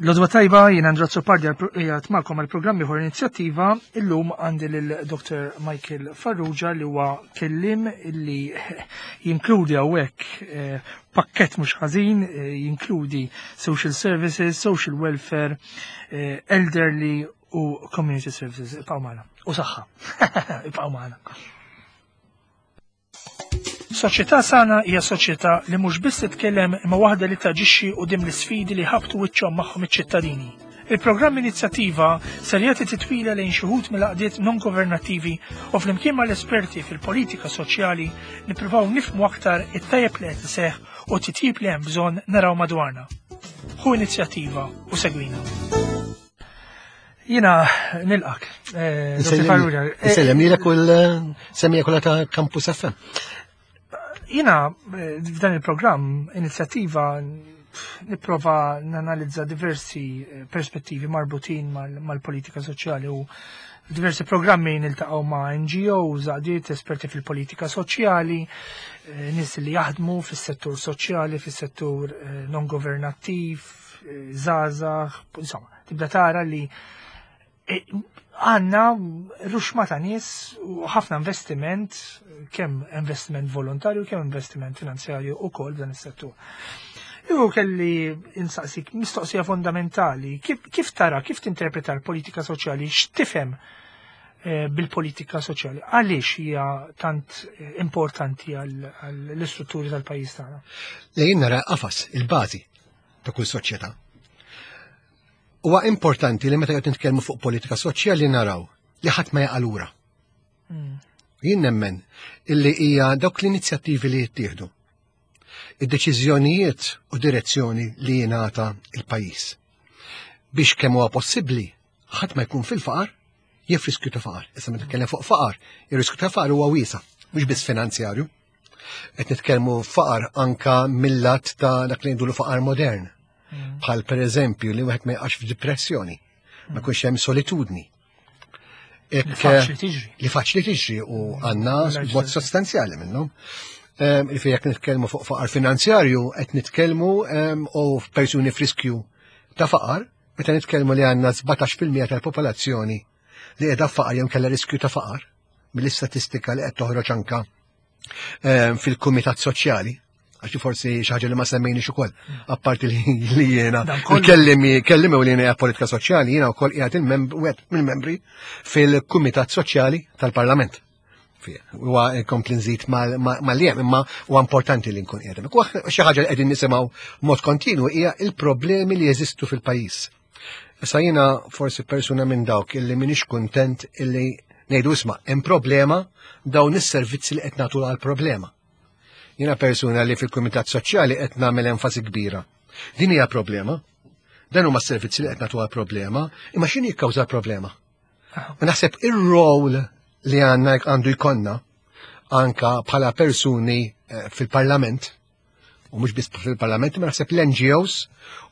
L-odwa tajba, jien Andra Azzopardi qiegħed magħkom għal programm ieħor inizjattiva. Illum għandi lil Dr. Michael Farrugia li huwa kellim li jinkludi hawnhekk eh, pakkett mhux ħażin, eh, jinkludi social services, social welfare, eh, elderly u community services. Ibqgħu magħna. U saħħa. Ibqgħu magħna. Soċjetà sana hija soċjetà li mhux biss titkellem imma waħda li taġixxi quddiem l-isfidi li ħabtu wiċċhom magħhom iċ-ċittadini. Il-programm Inizjattiva ser jagħti titwila lejn xi wħud mill-għaqdiet non-governattivi u flimkien mal-esperti fil-politika soċjali nippruvaw nifhmu aktar it-tajjeb li qed iseħħ u t-titjib li hemm bżonn naraw madwarna. Ħu inizjattiva u segwina. Jina nilqak. Eh, eh, Sellem lilek u l-semija kollha ta' Campus FM. Jina eh, f'dan il-programm inizjattiva nipprova nanalizza diversi perspettivi marbutin mal-politika soċjali u diversi programmi niltaqgħu ma' NGOs, għaqdiet esperti fil-politika soċjali, nies li jaħdmu fis-settur soċjali, fis-settur non governattiv, żgħażagħ, insomma, tibda tara li e, għanna ruxma ta' nies u ħafna investiment, kemm investiment volontarju, kemm investiment finanzjarju u kol dan is-settur. Iku kelli insaqsik mistoqsija fondamentali, kif, kif tara, kif tinterpreta l-politika soċjali, x'tifhem eh, bil-politika soċjali? Għaliex hija tant eh, importanti għall-istrutturi tal-pajjiż tagħna? Lejn nara qafas, il-bażi ta' kull soċjetà. Huwa importanti li meta qed nitkellmu fuq politika soċjali naraw li ħadd ma jaqa' lura. Mm. Jien nemmen illi hija dawk l-inizjattivi li jittieħdu. Id-deċiżjonijiet u direzzjoni li jingħata il-pajjiż. Biex kemm huwa possibbli ħadd ma jkun fil-faqar jew riskju ta' faqar. Issa meta nitkellem fuq faqar, ir-riskju ta' faqar huwa wiesa, mhux biss finanzjarju. Qed nitkellmu faqar anka mill-lat ta' dak li ngħidulu faqar modern. Mm. Bħal pereżempju li wieħed ma jaqax f'depressjoni, ma mm. jkunx hemm solitudni. Li faċli tiġri. Li faċli tiġri u għandna mod sostanzjali minnhom. Ehm, Ifi jekk nitkellmu fuq faqar finanzjarju, qed nitkellmu ehm, u persuni f'riskju ta' faqar, meta nitkellmu li għandna 17% tal-popolazzjoni li qiegħda faqar jew kellha riskju ta' faqar mill-istatistika li qed toħroġ anka ehm, fil-Kumitat Soċjali, għax forsi xi ħaġa li ma semmejniex ukoll, apparti li jiena kellimi kellimi u li jiena politika soċjali, jiena wkoll qiegħed il-wieħed mill-membri fil-Kumitat Soċjali tal-Parlament. Huwa kompli nżid mal-jem, imma huwa importanti li nkun qiegħed. Xi ħaġa li qegħdin nisimgħu mod kontinu hija il-problemi li jeżistu fil-pajjiż. Issa jiena forsi persuna minn dawk illi minix kuntent illi ngħidu isma' hemm problema dawn is-servizzi li qed nagħtu għal problema. Jiena persuna li fil-Kumitat Soċjali qed nagħmel enfasi kbira. Din hija problema. Dan huma s-servizzi li qed nagħtu għal problema, imma x'inhi jikkawża problema? U naħseb ir-rol li għandna għandu jkollna anka bħala persuni eh, fil-parlament u mhux biss fil-parlament, ma naħseb l-NGOs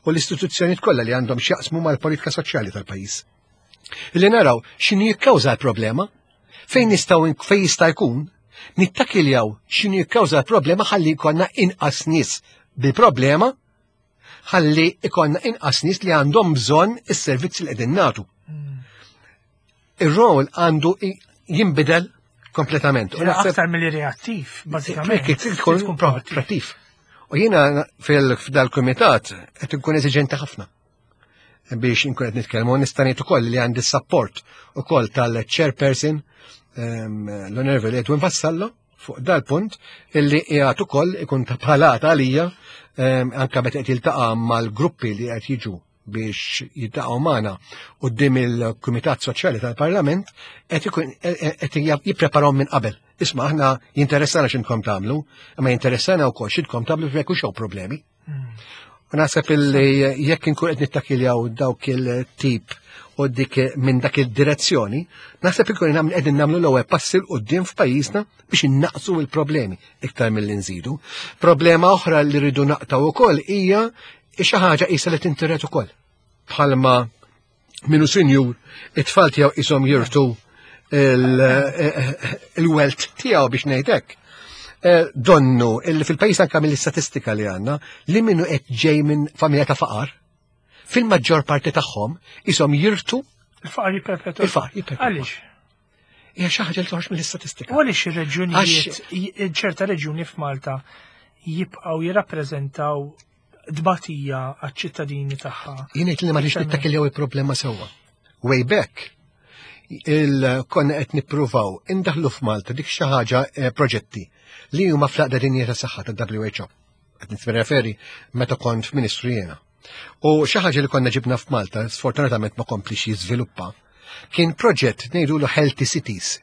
u l-istituzzjonijiet kollha li għandhom x'jaqsmu mal-politika soċjali tal-pajjiż. Illi naraw x'inhi jikkawża l-problema, fejn nistgħu fejn jista' jkun nittakiljaw x'inhi jikkawża l-problema ħalli jkollna inqas nies bil-problema ħalli ikonna inqas nies li għandhom bżonn is-servizzi li qegħdin nagħtu. Hmm. Ir-rol għandu jinbidel kompletament. U aktar mill reattiv, bażikament. Tkun proattiv. U jiena fil-dal-kumitat qed inkun eżiġenti ħafna biex inkun qed nitkellmu nista' ngħid ukoll li għandi support ukoll tal-chairperson ehm, l-Onorevoli Edwin Vassallo fuq dal-punt illi qiegħed ukoll ikun ta' bħalata għalija ehm, anke meta qed jiltaqa' mal-gruppi li qed jiġu biex jiltaqgħu magħna quddiem il-Kumitat Soċjali tal-Parlament qed ikun qed jippreparaw minn qabel. Isma' aħna jinteressana x'intkom tagħmlu, imma jinteressana wkoll x'intkom tagħmlu jekk hux problemi. U naħseb illi jekk inkun qed nittakiljaw dawk il-tip u dik minn dak il-direzzjoni, naħseb ikun qegħdin nagħmlu l-ewwel passi l quddiem f'pajjiżna biex innaqsu l-problemi iktar milli nżidu. Problema oħra li rridu naqtaw ukoll hija xi ħaġa qisha li tintiret ukoll. Bħalma minu sinjur, it-tfal tiegħu qishom jirtu il-welt tiegħu biex ngħidlek. Eh, donnu illi fil-pajjiż anke mill-istatistika li għandna li minnu qed ġej minn familja ta' faqar. Fil-maġġor parti tagħhom ishom jirtu Il-faqar jipperpetwa. Il-faqar jipperpetwa. Għaliex? Hija xi ħaġa li toħroġ mill-istatistika. U għaliex ir-reġjunijiet, ċerta reġjuni f'Malta jibqgħu jirrappreżentaw tbatija għaċ-ċittadini tagħha. Jien ngħid li ma rridx nittakiljaw il-problema sewwa. Way back, il-konna qed nippruvaw indaħlu f'Malta dik xi ħaġa eh, proġetti li huma fl-aqda dinja ta' saħħa ta' WHO. Qed nirreferi meta kont f'Ministru jiena. U xi ħaġa li konna ġibna f'Malta, sfortunatament ma komplix jiżviluppa, kien proġett ngħidulu Healthy Cities.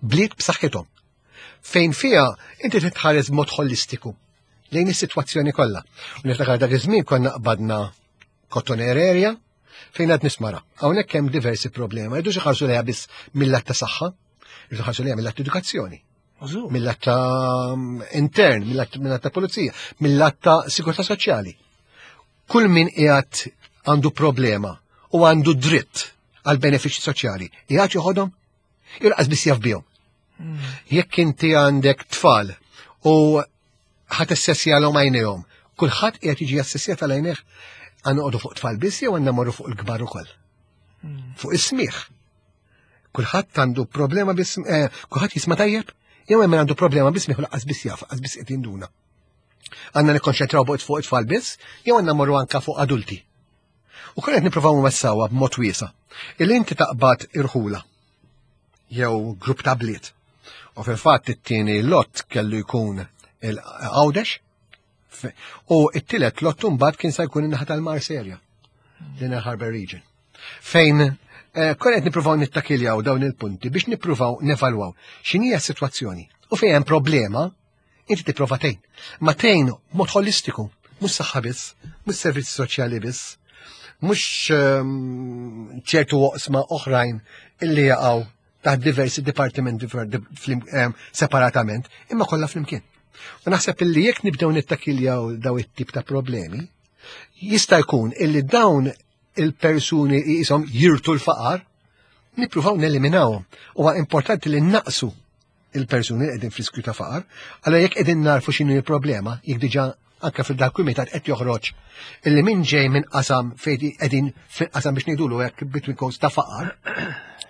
Bliet b'saħħithom. Fejn fiha inti titħares b'mod holistiku lejn is-sitwazzjoni kollha. U niftakar dak iż-żmien konna qbadna Cotoner area fejn għad nismara. Hawnhekk hemm diversi problemi. Jridux iħarsu lejha biss mill-lat ta' saħħa, jridu ħarsu lejha mill-lat edukazzjoni. Mill-lat ta' intern, mill-lat ta' pulizija, mill-lat ta' sigurtà soċjali. Kull min qiegħed għandu problema u għandu dritt għal benefiċċji soċjali, qiegħed joħodhom? Jilqas biss jaf bihom. Jekk inti għandek tfal u ħat assessjalhom għajnejhom, kulħadd qiegħed jiġi assessjat għal għajnejh għandna fuq tfal biss jew għandna morru fuq il-kbar ukoll. Fuq is-smigħ. Kulħadd għandu problema biss, eh, kulħadd jisma' tajjeb, jew hemm għandu problema biss u laqqas biss jaf, laqqas biss qed jinduna. Għandna nikkonċentraw fuq it-tfal biss, jew għandna morru anka fuq adulti. U konna qed nippruvaw nwessawha b'mod wiesa'. Illi inti taqbad irħula jew grupp ta' bliet. U fil-fatt it-tieni lot kellu jkun il-Għawdex u it-tielet lot mbagħad kien se jkun in-naħa tal-Marserja, l-Inner Harbour Region. Fejn eh, konna qed nippruvaw nittakiljaw dawn il-punti biex nippruvaw nevalwaw x'inhija s-sitwazzjoni u fejn hemm problema inti tipprova tgħin. Ma tgħin mod holistiku, mhux saħħa biss, mhux servizzi soċjali biss, mhux ehm, ċertu oqsma oħrajn illi jaqgħu taħt diversi dipartimenti ehm, separatament, imma kollha flimkien. U naħseb illi jekk nibdew nittakiljaw daw it-tip ta' problemi, jista' jkun illi dawn il-persuni jisom jirtu l-faqar, nippruvaw neliminawhom. Huwa importanti li naqsu il-persuni li qegħdin f'riskju ta' faqar, allora jekk qegħdin narfu x'inhu l-problema, jekk diġà anke fil-dak kumitat qed joħroġ illi min ġej minn qasam fejn qegħdin fil-qasam biex ngħidulu hekk between quotes ta' faqar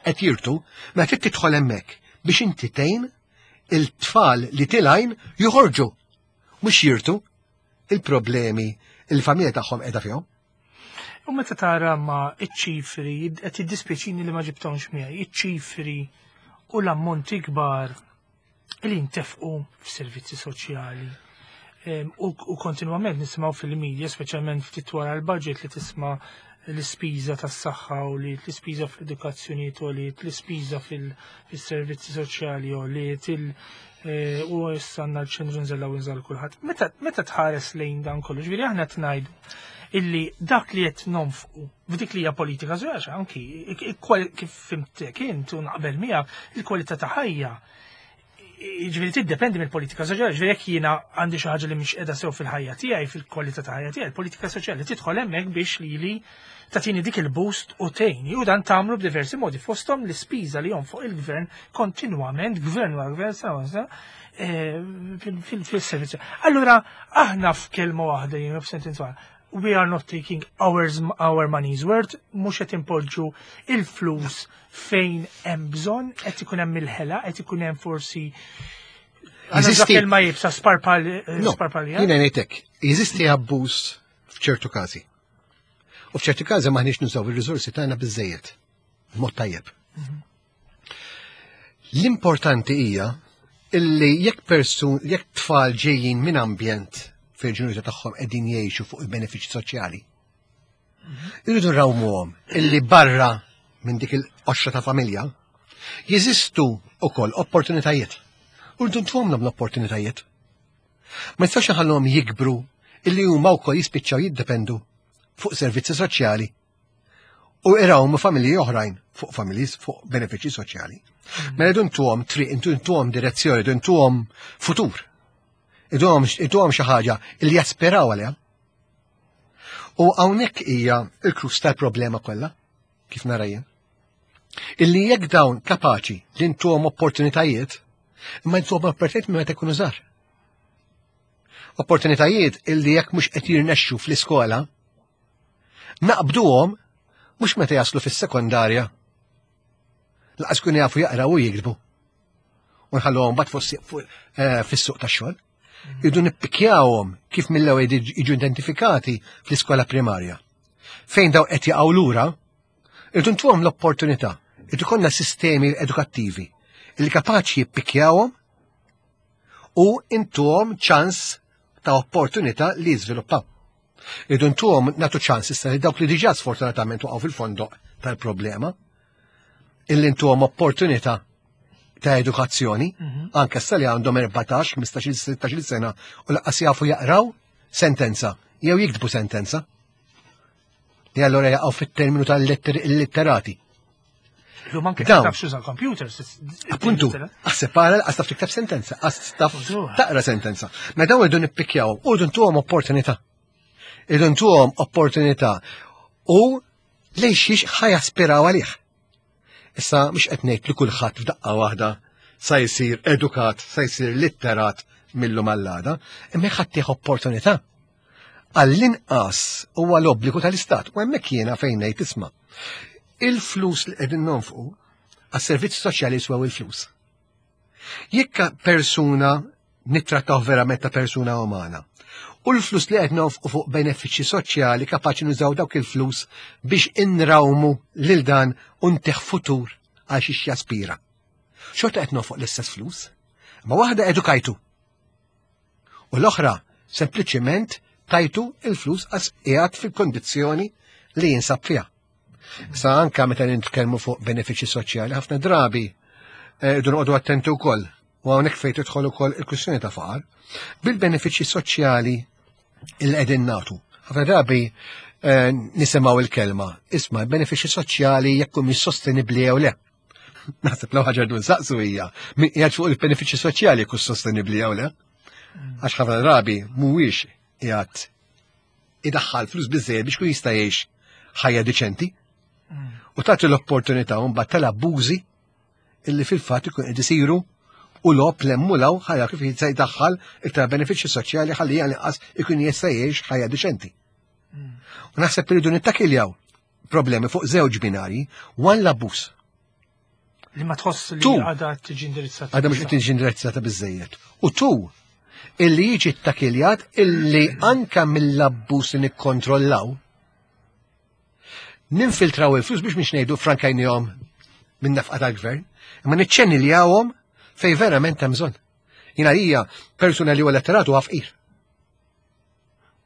qed jirtu, mela trid tidħol hemmhekk biex inti tgħin il-tfal li tilgħin joħorġu mhux jirtu il-problemi il-familja tagħhom qiegħda fihom. U meta tara ma iċ-ċifri, qed jiddispjaċini li ma ġibthomx miegħi, iċ-ċifri u l-ammonti kbar li ntefqu f'servizzi soċjali. U kontinwament nisimgħu fil-media, speċjalment ftit wara l-budget li tisma' l-ispiża tas-saħħa u li l-ispiża fl-edukazzjoni u li l-ispiża fil-servizzi soċjali u li eh, u issa għandna l-ċentru nżella u nżal kulħadd. Meta tħares lejn dan kollu, ġifieri aħna qed ngħidu illi dak li qed nonfqu f'dik li hija politika żgħax anki kif fimtek int u naqbel miegħek il-kwalità ta' ħajja Ġifieri tiddependi mill-politika soċjali, ġifieri jekk jiena għandi xi ħaġa li mhix qiegħda sew fil-ħajja tiegħi, fil-kwalità ta' ħajja tiegħi, il-politika soċjali tidħol hemmhekk biex lili tagħtini dik il-boost u tgħinni u dan tagħmlu b'diversi modi fosthom l-ispiża li fuq il-gvern kontinwament, gvern wara gvern, sena wara sena, eh, fil-servizz. Allura aħna f'kelma waħda jien f'sentenza waħda, we are not taking ours, our money's worth, mhux qed impoġġu il-flus fejn hemm bżonn, qed ikun hemm il-ħela, qed ikun hemm forsi Jeżisti- kelma jibsa sparpal No, sparpalja. Jiena ngħidlek, jeżisti abbuż f'ċertu każi. U f'ċertu każi maħniex nużaw ir-riżorsi tagħna biżejjed, b'mod tajjeb. L-importanti hija illi jekk persun, jekk tfal ġejjin minn ambjent fejn ġenituri tagħhom qegħdin jgħixu fuq il-benefiċċji soċjali, irridu nrawmuhom illi barra minn dik il-qoxra ta' familja jeżistu ukoll opportunitajiet. U rridu ntuhomlhom l-opportunitajiet. Ma nistax nħallhom jikbru illi huma wkoll jispiċċaw jiddependu fuq servizzi soċjali u irawmu familji oħrajn fuq familji fuq benefiċċji soċjali. Mela rridu ntuhom triq, intu ntuhom direzzjoni, rridu ntuhom futur. Intuhom xi ħaġa illi jaspiraw għaliha. U hawnhekk hija l-crux tal-problema kollha, kif nara jien. Illi jekk dawn kapaċi li ntuhom opportunitajiet, imma ntuhom opportunitajiet minn meta jkunu żgħar. Opportunitajiet illi jekk mhux qed jirnexxu fl-iskola, Naqbduhom mhux meta jaslu fis-sekondarja. Laqas kun jafu jaqraw u jiktbu. U nħalluhom bad eh, fis-suq tax-xogħol. Idu nippikjawhom kif mill-ewwel jiġu identifikati fl-iskola primarja. Fejn daw qed jaqgħu lura, irdu ntuhom l-opportunità, irdu konna sistemi edukattivi li kapaċi jippikjawhom u intuhom ċans ta' opportunità li jiżviluppaw. Irdu ntuhom nagħtu ċans issa li dawk li diġà sfortunatament waqgħu fil-fondoq tal-problema, illi ntuhom opportunità ta' edukazzjoni, mhm. anke issa li għandhom 14, 15, 16 sena u laqqas jafu jaqraw sentenza jew jiktbu sentenza. Li allora jaqgħu fit-terminu tal-litterati. Illum anke taf xuża computers. Appuntu, għas-separa, għas taf tikteb sentenza, għas taf taqra sentenza. Ma dawn irdu nippikjaw, u rridu ntuhom opportunità. Irridu ntuhom opportunità u lejn xiex ħajaspiraw għalih. Issa mhux qed ngħid li kulħadd f'daqqa waħda sa jsir edukat, sa jsir litterat millu mal-lada, imma ħadd opportunità. Għall-inqas huwa l-obbligu tal-Istat u hemmhekk jiena fejn ngħid isma' il-flus li qegħdin nonfqu għas-servizzi soċjali jiswew il-flus. Jekk persuna nittrattaw verament ta' persuna umana, u l-flus li qed nonfqu fuq benefiċċji soċjali kapaċi nużaw dawk il-flus biex inrawmu lil dan u ntih futur għal xiex jaspira. Xorta qed nonfoq l-istess flus, ma waħda edukajtu U l-oħra sempliċiment tajtu il-flus għas qiegħed fil-kondizzjoni li jinsab fiha. Sa anka meta nitkellmu fuq benefiċċji soċjali, ħafna drabi eh, irdu noqogħdu attenti wkoll u hawnhekk fejn tidħol ukoll il-kwistjoni ta' faqar. Bil-benefiċċji soċjali il qegħdin nagħtu. Ħafna drabi eh, nisimgħu il-kelma, isma' l-benefiċċji soċjali jekk humiex sostenibbli jew le. Naħseb l ħaġa dun saqsu hija min qiegħed fuq il-benefiċċji soċjali jkun sostenibbli jew le. Għax ħafna drabi mhuwiex qiegħed idaħħal flus biżejjed biex kun jista' jgħix ħajja diċenti. U tagħti l-opportunità mbagħad tal-abbużi illi fil-fatt ikun qed isiru u lob lemmulaw ħajja kif jista' jdaħħal iktar benefiċċji soċjali ħalli għal ikun jista' jgħix ħajja diċenti. U naħseb irridu nittakiljaw problemi fuq żewġ binari, one l-abbuż. Li ma tħoss li għadha tiġi indirizzata. Għadha mhux qed tiġi indirizzata biżejjed. U tu, illi jiġi takiljat illi anka mill-abbuż li nikkontrollaw, ninfiltraw il-flus biex mhix ngħidu frankajnihom minn nafqa tal-gvern, imma niċċeniljawhom fej verament hemm bżonn. Jina hija persuna li huwa letteratu għafqir.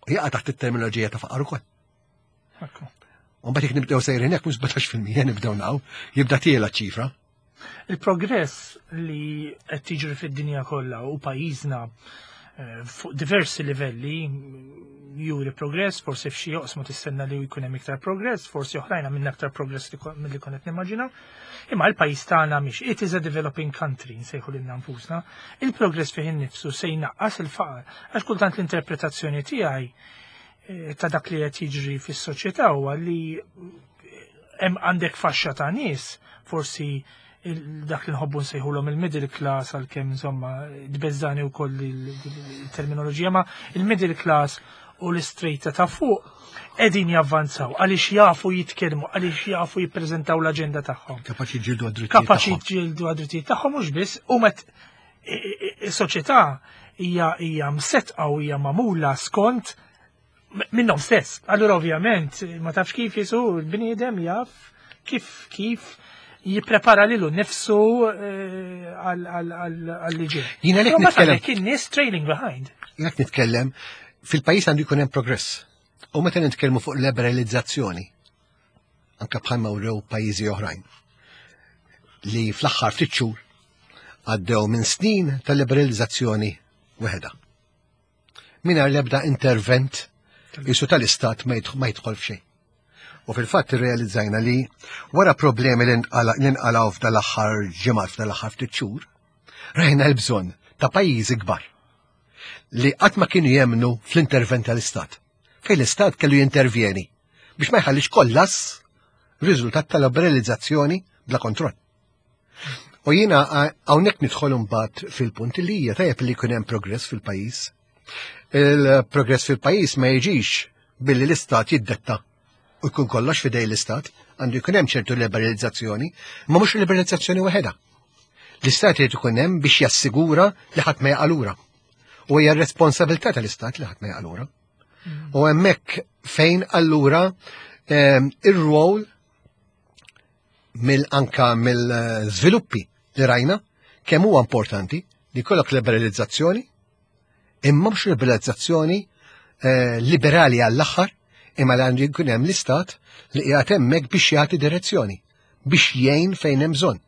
U jaqa' taħt it-terminoloġija ta' faqar ukoll. U mbagħad jekk nibdew sejrin hekk mhux 17% nibdew naw, jibda tiela ċifra. Il-progress li qed tiġri fid-dinja kollha u pajjiżna eh, fuq diversi livelli juri progress, forsi f'xi joqsma tistenna li jkun hemm iktar progress, forsi oħrajn għamilna aktar progress milli konna qed nimmaġinaw. Imma l-pajjiż tagħna mhix it is a developing country nsejħu lilna nfusna. Il-progress fih innifsu se jnaqqas il-faqar għax kultant l-interpretazzjoni tiegħi eh, ta' dak li qed jiġri fis-soċjetà huwa li hemm għandek faxxa ta' nies forsi dak li nħobbu nsejħulhom il-middle class għalkemm insomma tbeżżani wkoll il-terminoloġija ma il-middle class u l-istrejta ta' fuq qegħdin javvanzaw għaliex jafu jitkellmu, għaliex jafu jippreżentaw l-aġenda tagħhom. Kapaċi jġildu għad-drittijiet. Kapaċi jġildu għad-drittijiet tagħhom mhux biss u met is-soċjetà hija hija msetqa u hija magħmula skont minnhom stess. Allura ovvjament ma tafx kif jisu l-bniedem jaf kif kif jipprepara lilu nifsu eh, għal-liġi. Jina lek nitkellem. Kien nies trailing behind. Jina nitkellem fil-pajjiż għandu jkun hemm progress. U meta nitkellmu fuq liberalizzazzjoni, anka bħalma wrew pajjiżi oħrajn li fl-aħħar ftit xhur għaddew minn snin ta' liberalizzazzjoni weħeda. Mingħajr l-ebda intervent jisu tal-istat ma jidħol f'xejn. U fil-fatt irrealizzajna li wara problemi li nqalgħu f'dal-aħħar ġimgħat f'dal-aħħar ftit xhur, rajna l-bżonn ta' pajjiżi kbar li qatt ma kienu jemnu fl-intervent tal-istat. Fejn l-istat kellu jintervjeni biex ma jħallix kollass riżultat tal-liberalizzazzjoni bla kontroll. U jiena hawnhekk nidħol imbagħad fil-punt li hija tajjeb li jkun hemm progress fil-pajjiż. Il-progress fil-pajjiż ma jiġix billi l-istat jiddetta u jkun kollox fidej l-istat, għandu jkun hemm ċertu liberalizzazzjoni, ma mhux liberalizzazzjoni waħedha. L-istat irid ikun hemm biex jassigura li ħadd ma jaqalura. U hija r-responsabilità tal-istat li ħadd ma jaqalura. U hemmhekk fejn allura ir-rwol mill anka mill-żviluppi li rajna kemm huwa importanti li jkollok liberalizzazzjoni imma mhux liberalizzazzjoni eh, liberali għall-aħħar imma li għandu jkun hemm l-istat li qiegħed hemmhekk biex jagħti direzzjoni, biex jgħin fejn hemm bżonn,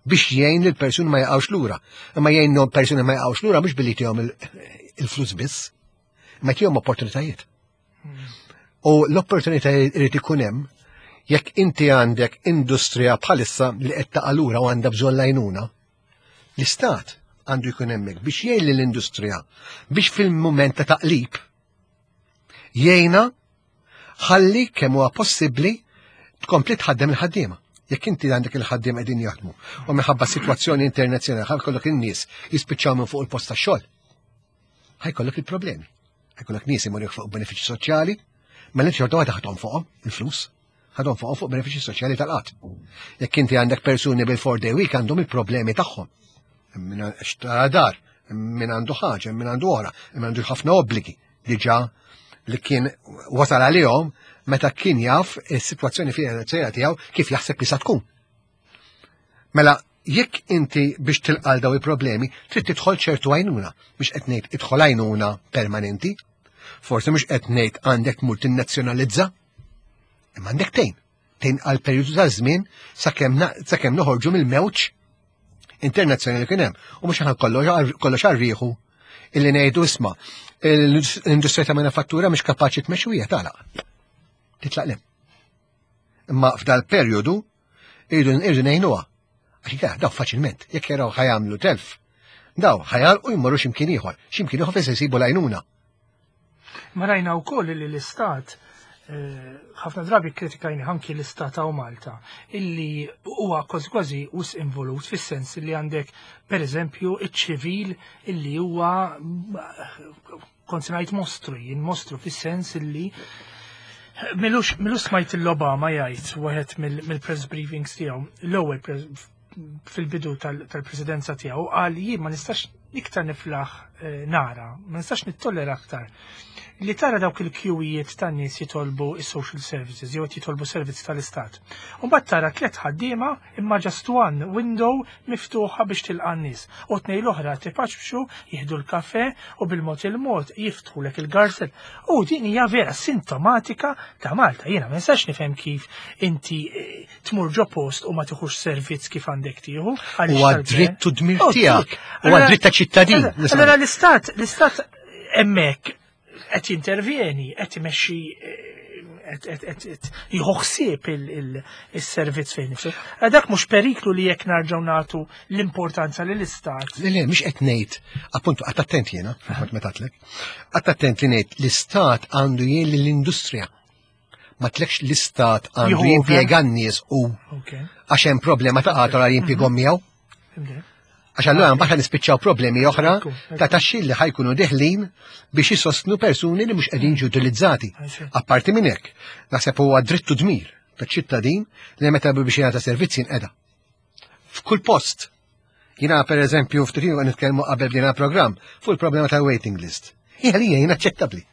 biex jgħin lil persuni ma jaqgħux lura. Imma jgħin persuni ma jaqgħux lura mhux billi tihom il-flus biss, imma tihom opportunitajiet. U l-opportunitajiet irid ikun hemm jekk inti għandek industrija bħalissa li qed taqa' lura u għandha bżonn lajnuna, l-istat għandu jkun hemmhekk biex jgħin lill-industrija biex fil-mument ta' taqlib jgħinha ħalli kemm huwa possibbli tkompli tħaddem il-ħaddiema. Jekk inti għandek il-ħaddiem qegħdin jaħdmu u minħabba sitwazzjoni internazzjonali ħa jkollok in-nies jispiċċaw minn fuq il-post tax-xogħol. Ħajkollok il-problemi. Ħajkollok nies imorru fuq benefiċċji soċjali, mela inti xorta waħda ħadhom fuqhom il-flus, ħadhom fuqhom fuq benefiċċji soċjali tal-qatt. Jekk inti għandek persuni bil-four day week għandhom il-problemi tagħhom. Min xtara dar, min għandu ħaġa, min għandu oħra, min għandu ħafna obbligi diġà li kien wasal għalihom meta kien jaf is-sitwazzjoni finanzjarja tiegħu kif jaħseb li sa tkun. Mela, jekk inti biex tilqal daw il-problemi, trid tidħol ċertu għajnuna, biex qed ngħid idħol għajnuna permanenti, forsi mhux qed ngħid għandek tmur tinnazzjonalizza, imma għandek tgħin. Tgħin għal perjodu ta' żmien sakemm noħorġu mill-mewġ internazzjonali kien hemm. U mhux aħna kollox għarrieħu illi ngħidu isma' l-industrija ta' manifattura mhux kapaċi tmexxi hija tagħlaq. Titlaq lem. Imma f'dal perjodu irridu irridu ngħinuha. Għax inkella daw faċilment, jekk jaraw ħajamlu telf, daw ħajalqu jmorru x'imkien ieħor, x'imkien ieħor fejn se jsibu l-għajnuna. Ma rajna wkoll li l-istat eh, ħafna drabi kritikajni anki l-istat hawn Malta illi huwa kważi kważi us involut fis-sens li għandek pereżempju iċ-ċivil illi huwa kont se ngħid mostru, jien mostru fis-sens illi milux milux smajt l-Obama jgħid wieħed mill-press briefings tiegħu, l-ewwel fil-bidu tal-presidenza tiegħu qal jien ma nistax iktar niflaħ eh, nara, ma nistax nittollera aktar. Li tara dawk il-kjuwijiet tan nies jitolbu is-social services jew qed jitolbu servizz tal-istat. U mbagħad tara tliet ħaddiema imma just one window miftuħa biex tilqa' n-nies. U tnej l-oħra tipaċbxu, jieħdu l-kafe u bil-mod il-mod jiftħulek il-garzel. U din hija vera sintomatika ta' Malta. Jiena ma nistax nifhem kif inti eh, tmur ġo post u ma tieħux servizz kif għandek tieħu. Huwa dritt u dmir oh, tiegħek. Huwa dritt ta' ċittadin. Allora l-istat, l-istat hemmhekk qed jintervjeni, qed imexxi qed jieħu ħsieb il-servizz fejn nifsu. Eh, dak mhux periklu li jekk narġgħu nagħtu l-importanza lil istat. Le, le, mhux qed ngħid, appuntu qatt attent jiena, kont meta tlek. Qatt attent li ngħid l-istat għandu jgħin lill-industrija. Ma tlekx l-istat għandu jimpjega n-nies u għax hemm problema ta' qatra jimpjeghom mhm. miegħu. Għax allura mbagħad nispiċċaw problemi oħra ta' taxxi li ħajkunu deħlin biex jisostnu persuni li mhux qegħdin jiġu utilizzati. Apparti minn hekk, naħseb huwa drittu dmir ta' ċittadin li meta biex jingħata servizz jinqeda. F'kull post. Jiena per eżempju ftit nitkellmu qabel bdejna programm fuq il-problema ta' waiting list. Hija li hija inaċċettabbli.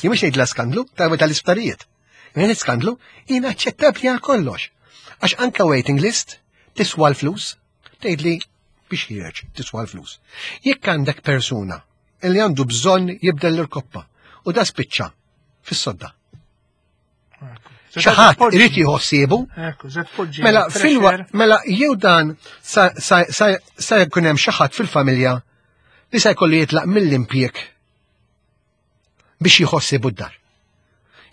Jien mhux ngħidla skandlu tal-isptarijiet. Jien skandlu inaċċettabbli għal kollox. Għax anka waiting list tiswa l-flus, tgħidli biex ħireġ tiswa l-flus. Jekk għandek persuna li għandu bżonn jibdel l-irkoppa u da spiċċa fis-sodda. Xaħat irid jieħu ħsiebu. Mela filwa mela jew dan sa jkun hemm xi ħadd fil-familja li sa jkollu jitlaq mill-impjieg biex jħossibu d-dar.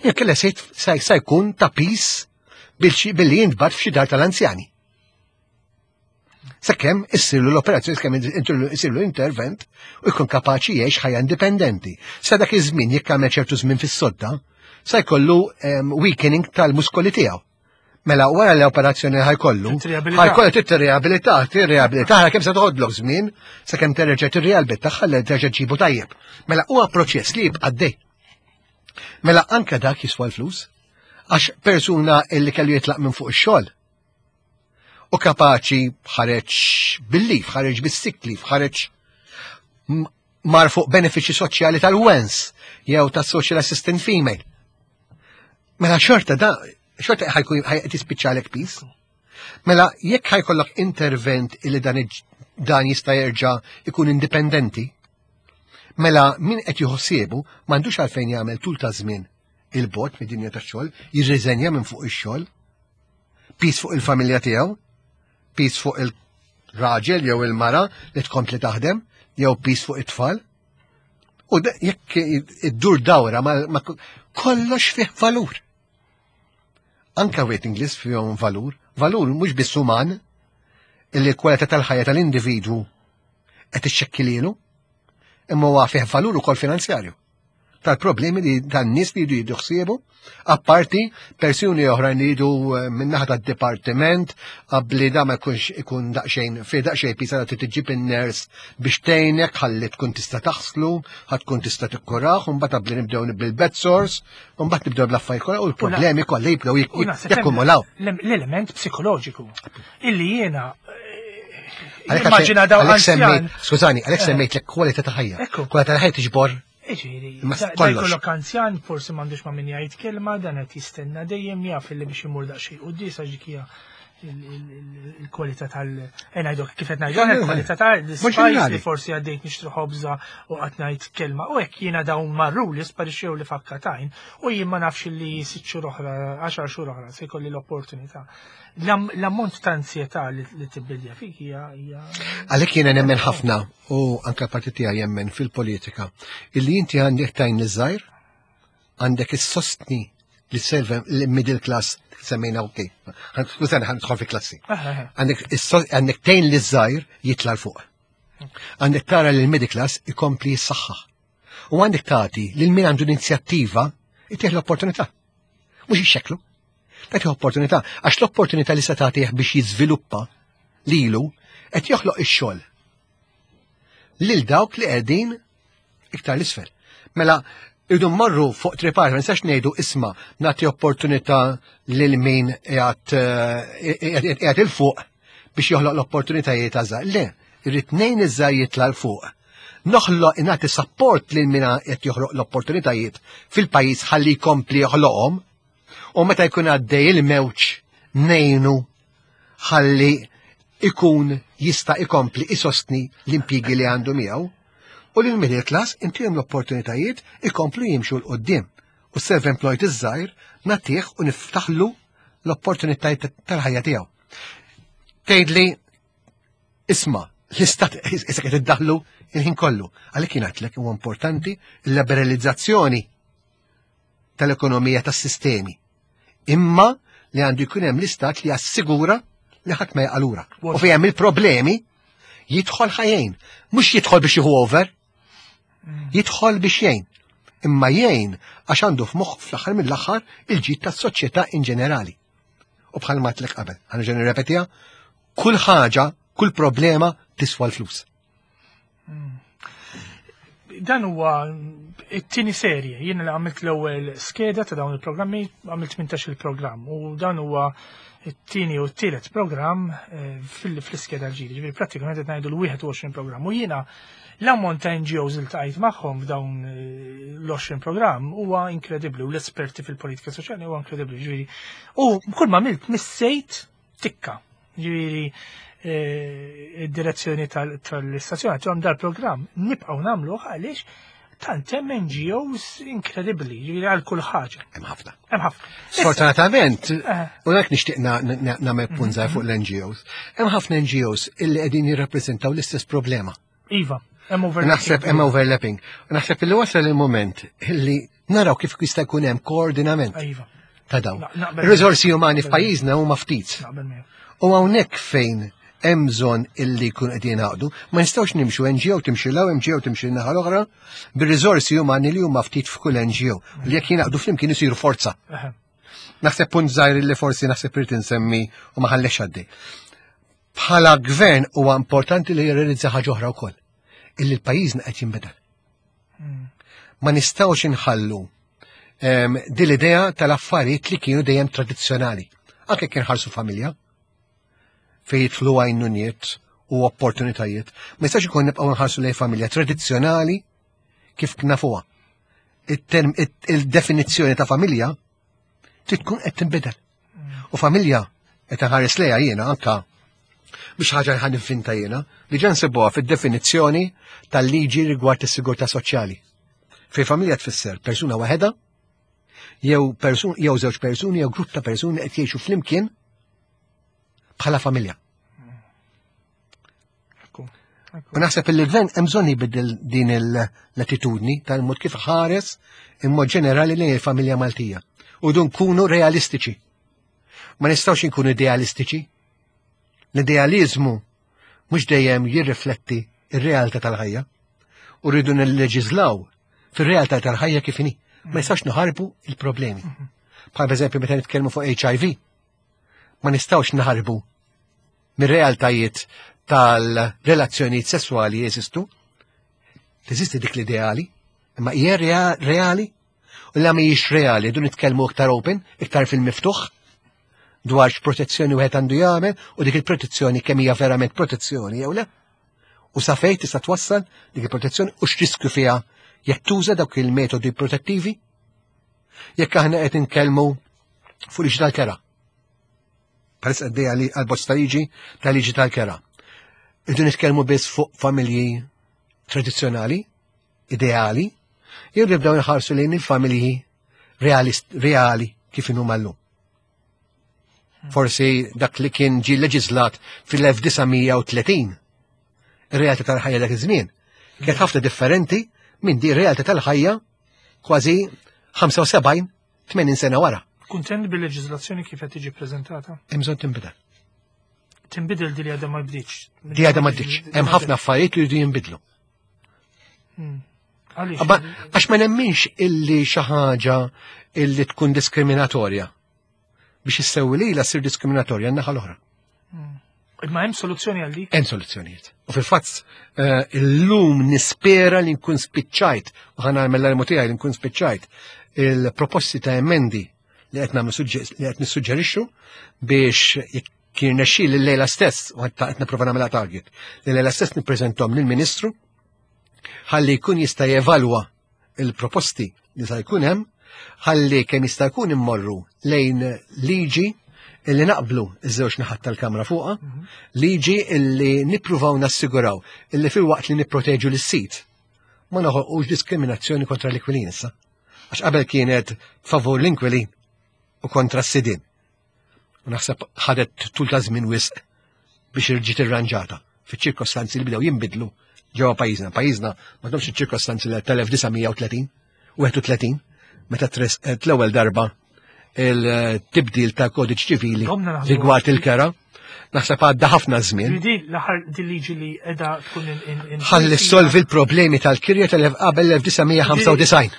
Jekk kella sa jkun ta' pis billi jintbagħat f'xi dar tal-anzjani. Sakemm issirlu l-operazzjoni, sakemm issirlu intervent u jkun kapaċi jgħix ħajja indipendenti. Sa dak iż-żmien jekk għamel ċertu żmien fis-sodda, sa jkollu ehm, weakening tal-muskoli tiegħu. Mela wara l-operazzjoni ħajkollu, ħajkollu tirriabilità, tirriabilità, kemm se toħodlok żmien sakemm terġa' tirriabilità ħalli terġa' ġibu tajjeb. Mela huwa proċess li jibqa' dej. Mela anke dak jiswa l-flus. Għax persuna illi kellu jitlaq minn fuq ix-xogħol u kapaċi ħareġ bil-lif, ħareġ bis-sick leave, ħareġ mar fuq benefiċi soċjali tal-WENS jew tas-social assistant female. Mela xorta da, xorta ħajkun tispiċċalek pis. Mela jekk ħajkollok intervent illi dan dan jista' jerġa' ikun indipendenti, mela min qed jħossiebu m'għandux għalfejn jagħmel tul ta' żmien il-bot mid-dinja tax-xogħol, jirriżenja minn fuq ix-xogħol, pis fuq il-familja tiegħu, pis fuq il-raġel jew il-mara li tkompli taħdem, jew pis fuq it-tfal. U jekk iddur dawra ma kollox fih valur. Anka waiting list fihom valur, valur mhux biss uman, illi l-kwalità tal-ħajja tal-individwu qed ixxekkilielu, imma huwa fih valur ukoll finanzjarju tal-problemi li tan-nies li jridu jieħdu apparti persuni oħrajn li jridu eh, min-naħa tad-dipartiment qabli da ma jkunx ikun daqsxejn fi daqsxejn pisa li tiġib in-ners biex tgħinek ħalli tkun tista' taħslu, ħadd tkun tista' tikkuraħ, u mbagħad qabli nibdew bil-bed source, u mbagħad nibdew bl-affarijiet kollha u l-problemi kollha jibdew jakkumulaw. L-element psikoloġiku illi jiena eh, immaġina daw Skużani, għalhekk eh. semmejt l kwalità ta' ħajja. Kwalità ta' ħajja tiġbor Iġifieri, jkollok anzjan forsi m'għandux ma' min jgħid kelma, dan qed jistenna dejjem jaf li biex imur daqsxejn quddiem għax dik hija il-kwalità tal eh, ngħidu kif qed ngħidu il-kwalità tal-spice li forsi għaddejt nixtri ħobża u qatt ngħid kelma u hekk jiena dawn marru li sparixxew li fakkatajn u jien ma nafx li sitt xhur oħra, għaxar xhur oħra se jkolli l-opportunità. L-ammont ta' ansjetà li tibbilja fik hija. Għalhekk jiena nemmen ħafna u anke l-partit tiegħi jemmen fil-politika illi inti għandek tajn iż-żgħir, għandek is-sostni li serve l-middle class semmejna ok. Skużani ħan fi klassi. Għandek tgħin li żgħir jitla' l fuq. Għandek tara li l-middle class ikompli jissaħħaħ. U għandek tagħti lil min għandu l-inizjattiva itih l-opportunità. Mhux ixxeklu. Tagħti opportunità għax l-opportunità li se tagħtih biex jiżviluppa lilu qed joħloq ix-xogħol lil dawk li qegħdin iktar l-isfel. Mela, irridu mmorru fuq tripar, ma nistax ngħidu isma' nagħti opportunità lil min qiegħed eh, il fuq biex joħloq l-opportunitajiet għażar. Le, irrid ngħin iż-żgħar jitla' l fuq. Noħloq nagħti support lil min qed joħloq l-opportunitajiet fil-pajjiż ħalli jkompli joħloqhom U meta jkun għaddej il-mewġ nejnu ħalli ikun jista' ikompli isostni l-impjigi li għandu miegħu u lil middle class intihom l-opportunitajiet ikomplu jimxu 'l quddiem u self-employed iż-żgħir nagħtih u niftaħlu l-opportunitajiet tal-ħajja tiegħu. Tgħidli isma' l-istat issa qed iddaħlu il-ħin kollu. Għalhekk jien għedtlek huwa importanti l-liberalizzazzjoni tal-ekonomija tas-sistemi. Imma li għandu jkun hemm l-istat li jassigura li ħadd ma jaqalura. U fejn hemm il-problemi jidħol ħajjin, mhux jidħol biex jieħu over, jidħol biex jgħin. Imma jgħin għax għandu f'moħħ fl-aħħar mill-aħħar il-ġid tas-soċjetà in ġenerali. U bħal ma tlek qabel, ħa nirrepetiha, kull ħaġa, kull problema tiswa l-flus. Dan huwa it-tieni serje. Jien li għamilt l-ewwel skeda ta' dawn il-programmi, għamilt 18 il-programm u dan huwa it-tieni u t-tielet programm eh, fl-iskeda l-ġdida. Ġifieri prattikament qed ngħidu l-21 programm. U jiena l-ammont ta' NGOs li tqajt magħhom f'dawn eh, l-20 programm huwa inkredibbli u l-esperti fil-politika soċjali huwa inkredibbli. Ġifieri u kull ma għamilt missejt tikka. Ġifieri eh, id-direzzjoni tal-istazzjon għandhom dal-programm nibqgħu nagħmluh għaliex tant hemm NGOs inkredibbli, ġifieri għal kull ħaġa. Hemm ħafna. Hemm ħafna. Sfortunatament, eh. u hekk nixtieq nagħmel punt żgħir fuq l-NGOs, hemm ħafna NGOs illi qegħdin jirrappreżentaw l-istess problema. Iva, hemm overlapping. Naħseb hemm overlapping. Naħseb illi wasal il-moment illi naraw kif jista' jkun hemm koordinament. Iva. Ta' dawn. Ir-riżorsi umani f'pajjiżna huma ftit. U hawnhekk fejn hemm bżonn illi jkun qed jingħaqdu, ma nistgħux nimxu NGO timxi law, NGO timxi naħa l-oħra, bir-riżorsi umani li huma ftit f'kull NGO. Li jekk jingħaqdu flimkien isiru forza. Naħseb punt żgħir li forsi naħseb irid insemmi u ma ħallex għaddej. Bħala gvern huwa importanti li jirrealizza ħaġa oħra wkoll, illi l-pajjiżna qed jinbidel. Ma nistgħux inħallu Din l-idea tal-affarijiet li kienu dejjem tradizzjonali. Anke kien ħarsu familja fejn jidħlu għajnuniet u opportunitajiet. Ma jistax ikun nibqgħu nħarsu lejn familja tradizzjonali kif nafuha. Il-definizzjoni ta' familja trid tkun qed tinbidel. U familja qed nħares lejha jiena anka biex ħaġa ħan infinta jiena li ġan nsibuha fid-definizzjoni tal-liġi rigward is-sigurtà soċjali. Fej familja tfisser persuna waħedha jew persun jew żewġ persuni jew grupp ta' persuni qed jgħixu flimkien bħala familja. U naħseb li l-gvern hemm bżonn jbiddel din l-attitudni tal-mod kif ħares imma ġenerali lejn il-familja Maltija. U dun kunu realistiċi. Ma nistgħux inkunu idealistiċi. L-idealizmu mhux dejjem jirrifletti ir-realtà tal-ħajja. U rridu nilleġiżlaw fir-realtà tal-ħajja kif inhi. Ma jistax naħarbu il-problemi. Bħal eżempju meta nitkellmu fuq HIV, ma nistgħux naħarbu mir-realtajiet tal-relazzjonijiet sesswali jeżistu. Teżisti dik l-ideali, imma hija reali u la mhijiex reali, du nitkellmu iktar open, iktar fil-miftuħ dwar x'protezzjoni wieħed għandu jagħmel u dik il-protezzjoni kemm hija verament protezzjoni jew le. U sa fejn tista' twassal dik il-protezzjoni u x'riskju fiha jekk tuża dawk il-metodi protettivi. Jekk aħna qed nitkellmu fuq liġi tal-kera. Bħalissa għaddejja li għal-bozz ta' liġi ta' liġi tal-kera. Irdu nitkellmu biss fuq familji tradizzjonali, ideali, jew nibdew nħarsu lejn il-familji reali kif inhuma llum. Forsi dak li kien ġi leġislat fil-1930, ir-realtà tal-ħajja dak iż-żmien, kienet ħafna differenti minn di realtà tal-ħajja kważi 75-80 sena wara. Kuntent bil-leġiżlazzjoni kif qed tiġi preżentata? Hemm bżonn tinbidel. Tinbidel di li għadha ma bdietx. Di għadha ma bdietx. Hemm ħafna affarijiet li jridu jinbidlu. Għax ma nemminx illi xi ħaġa illi tkun diskriminatorja. Biex issewwi lilha ssir diskriminatorja n-naħa l-oħra. Imma hemm soluzzjoni għal dik? Hemm soluzzjonijiet. U fil-fatt eh, illum nispera li nkun spiċċajt u ħa nagħmel l-almu tiegħi li nkun spiċċajt il-proposti ta' emendi li qed nagħmlu li qed nissuġġerixxu biex jekk jirnexxi l-lejla stess u qed nipprova nagħmilha target, li lejla stess nippreżentom lill-Ministru ħalli jkun jista' jevalwa il-proposti li sa jkun hemm ħalli kemm jista' jkun immorru lejn liġi illi naqblu iż-żewġ naħat tal-kamra fuqha, mhm. liġi illi nippruvaw nassiguraw illi fil-waqt li nipproteġu lis-sit ma noħolqux diskriminazzjoni kontra l-inkwilin issa. Għax qabel kienet favur l-inkwilin u kontra s-sidin. U naħseb ħadet tul ta' żmien wisq biex irġiet irranġata fiċ-ċirkostanzi li bdew jinbidlu ġewwa pajjiżna. Pajjiżna ma domx iċ-ċirkostanzi tal-1930 31 meta tresqet l-ewwel darba il-tibdil ta' kodiċ ċivili rigward il-kera. Naħseb għadda ħafna żmien. L-aħħar liġi li qiegħda tkun Ħalli solvi l-problemi tal-kirja tal-qabel l-1995.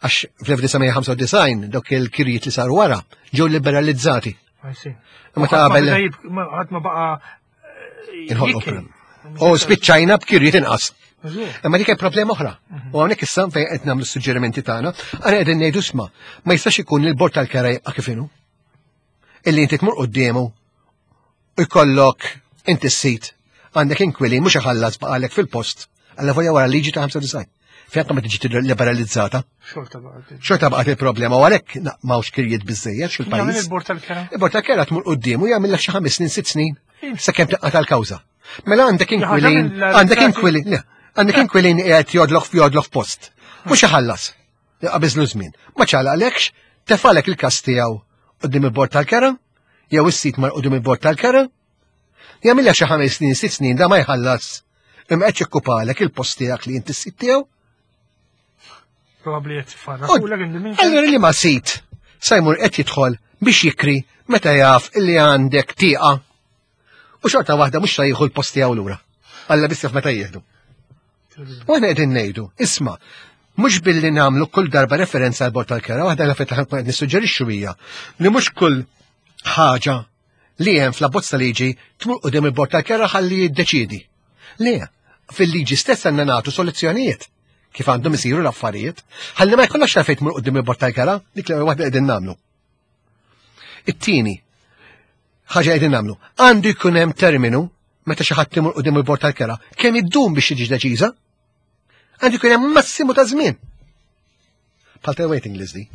Għax fl-1995 dawk il-kirjiet li saru wara ġew liberalizzati. Ma ta' qabel. Ħadd ma baqa' eh, U spiċċajna b'kirjiet inqas. Imma dik hemm problema oħra. Mhm. U hawnhekk issa fejn qed nagħmlu suġġerimenti tagħna, għana qegħdin ngħidu sma, ma jistax ikun li l-bord tal-kera jibqa' kif inhu. Illi inti tmur quddiemu u jkollok inti s-sit għandek inkwilin mhux iħallas baqalek fil-post għalla volja wara liġi ta' 95. Fejn ma tiġi liberalizzata. Xorta baqgħet il-problema u għalhekk m'hawnx kirjiet biżejjed fil-pajjiż. Il-bord tal-kera. Il-bord tal-kera tmur quddiem u jagħmillek xi ħames snin, sitt snin sakemm taqqa' tal-kawża. Mela għandek inkwilin, għandek inkwilin, għandek inkwilin qiegħed jodloq f'jodloq f'post. Mhux iħallas. Qabiżlu żmien. Ma ċalaqlekx, tefalek il-każ tiegħu qudiem il-bord tal-kera, jew is-sit mar qudiem il-bord tal-kera, jagħmilha xi ħames snin, sitt snin da ma jħallas. Imma qed jokkupalek il-post tiegħek li inti s-sit tiegħu. Probabbli qed farra. Allura li ma sit sa jmur qed jidħol biex jikri meta jaf illi għandek tieqa. U xorta waħda mhux se jieħu l-post tiegħu lura. Alla biss jaf meta jieħdu. U aħna qegħdin ngħidu, isma' mhux billi nagħmlu kull darba referenza għal bord tal-kera, waħda l affett qed nissuġġerixxu hija li mhux kull ħaġa li hemm fl-abbozz ta' liġi tmur qudiem il-bord tal-kera ħalli jiddeċiedi. Le, fil-liġi stess għandna nagħtu soluzzjonijiet. kif għandhom isiru l-affarijiet. Ħalli ma jkollokx għalfejn tmur quddiem il-bord tal-kera, dik l-ewwel waħda qegħdin nagħmlu. It-tieni ħaġa qegħdin nagħmlu, għandu jkun hemm terminu meta xi ħadd imur quddiem il-bord tal-kera, kemm iddum biex tiġi deċiża? Għandu jkun hemm massimu ta' żmien. Bħal ta' waiting list di.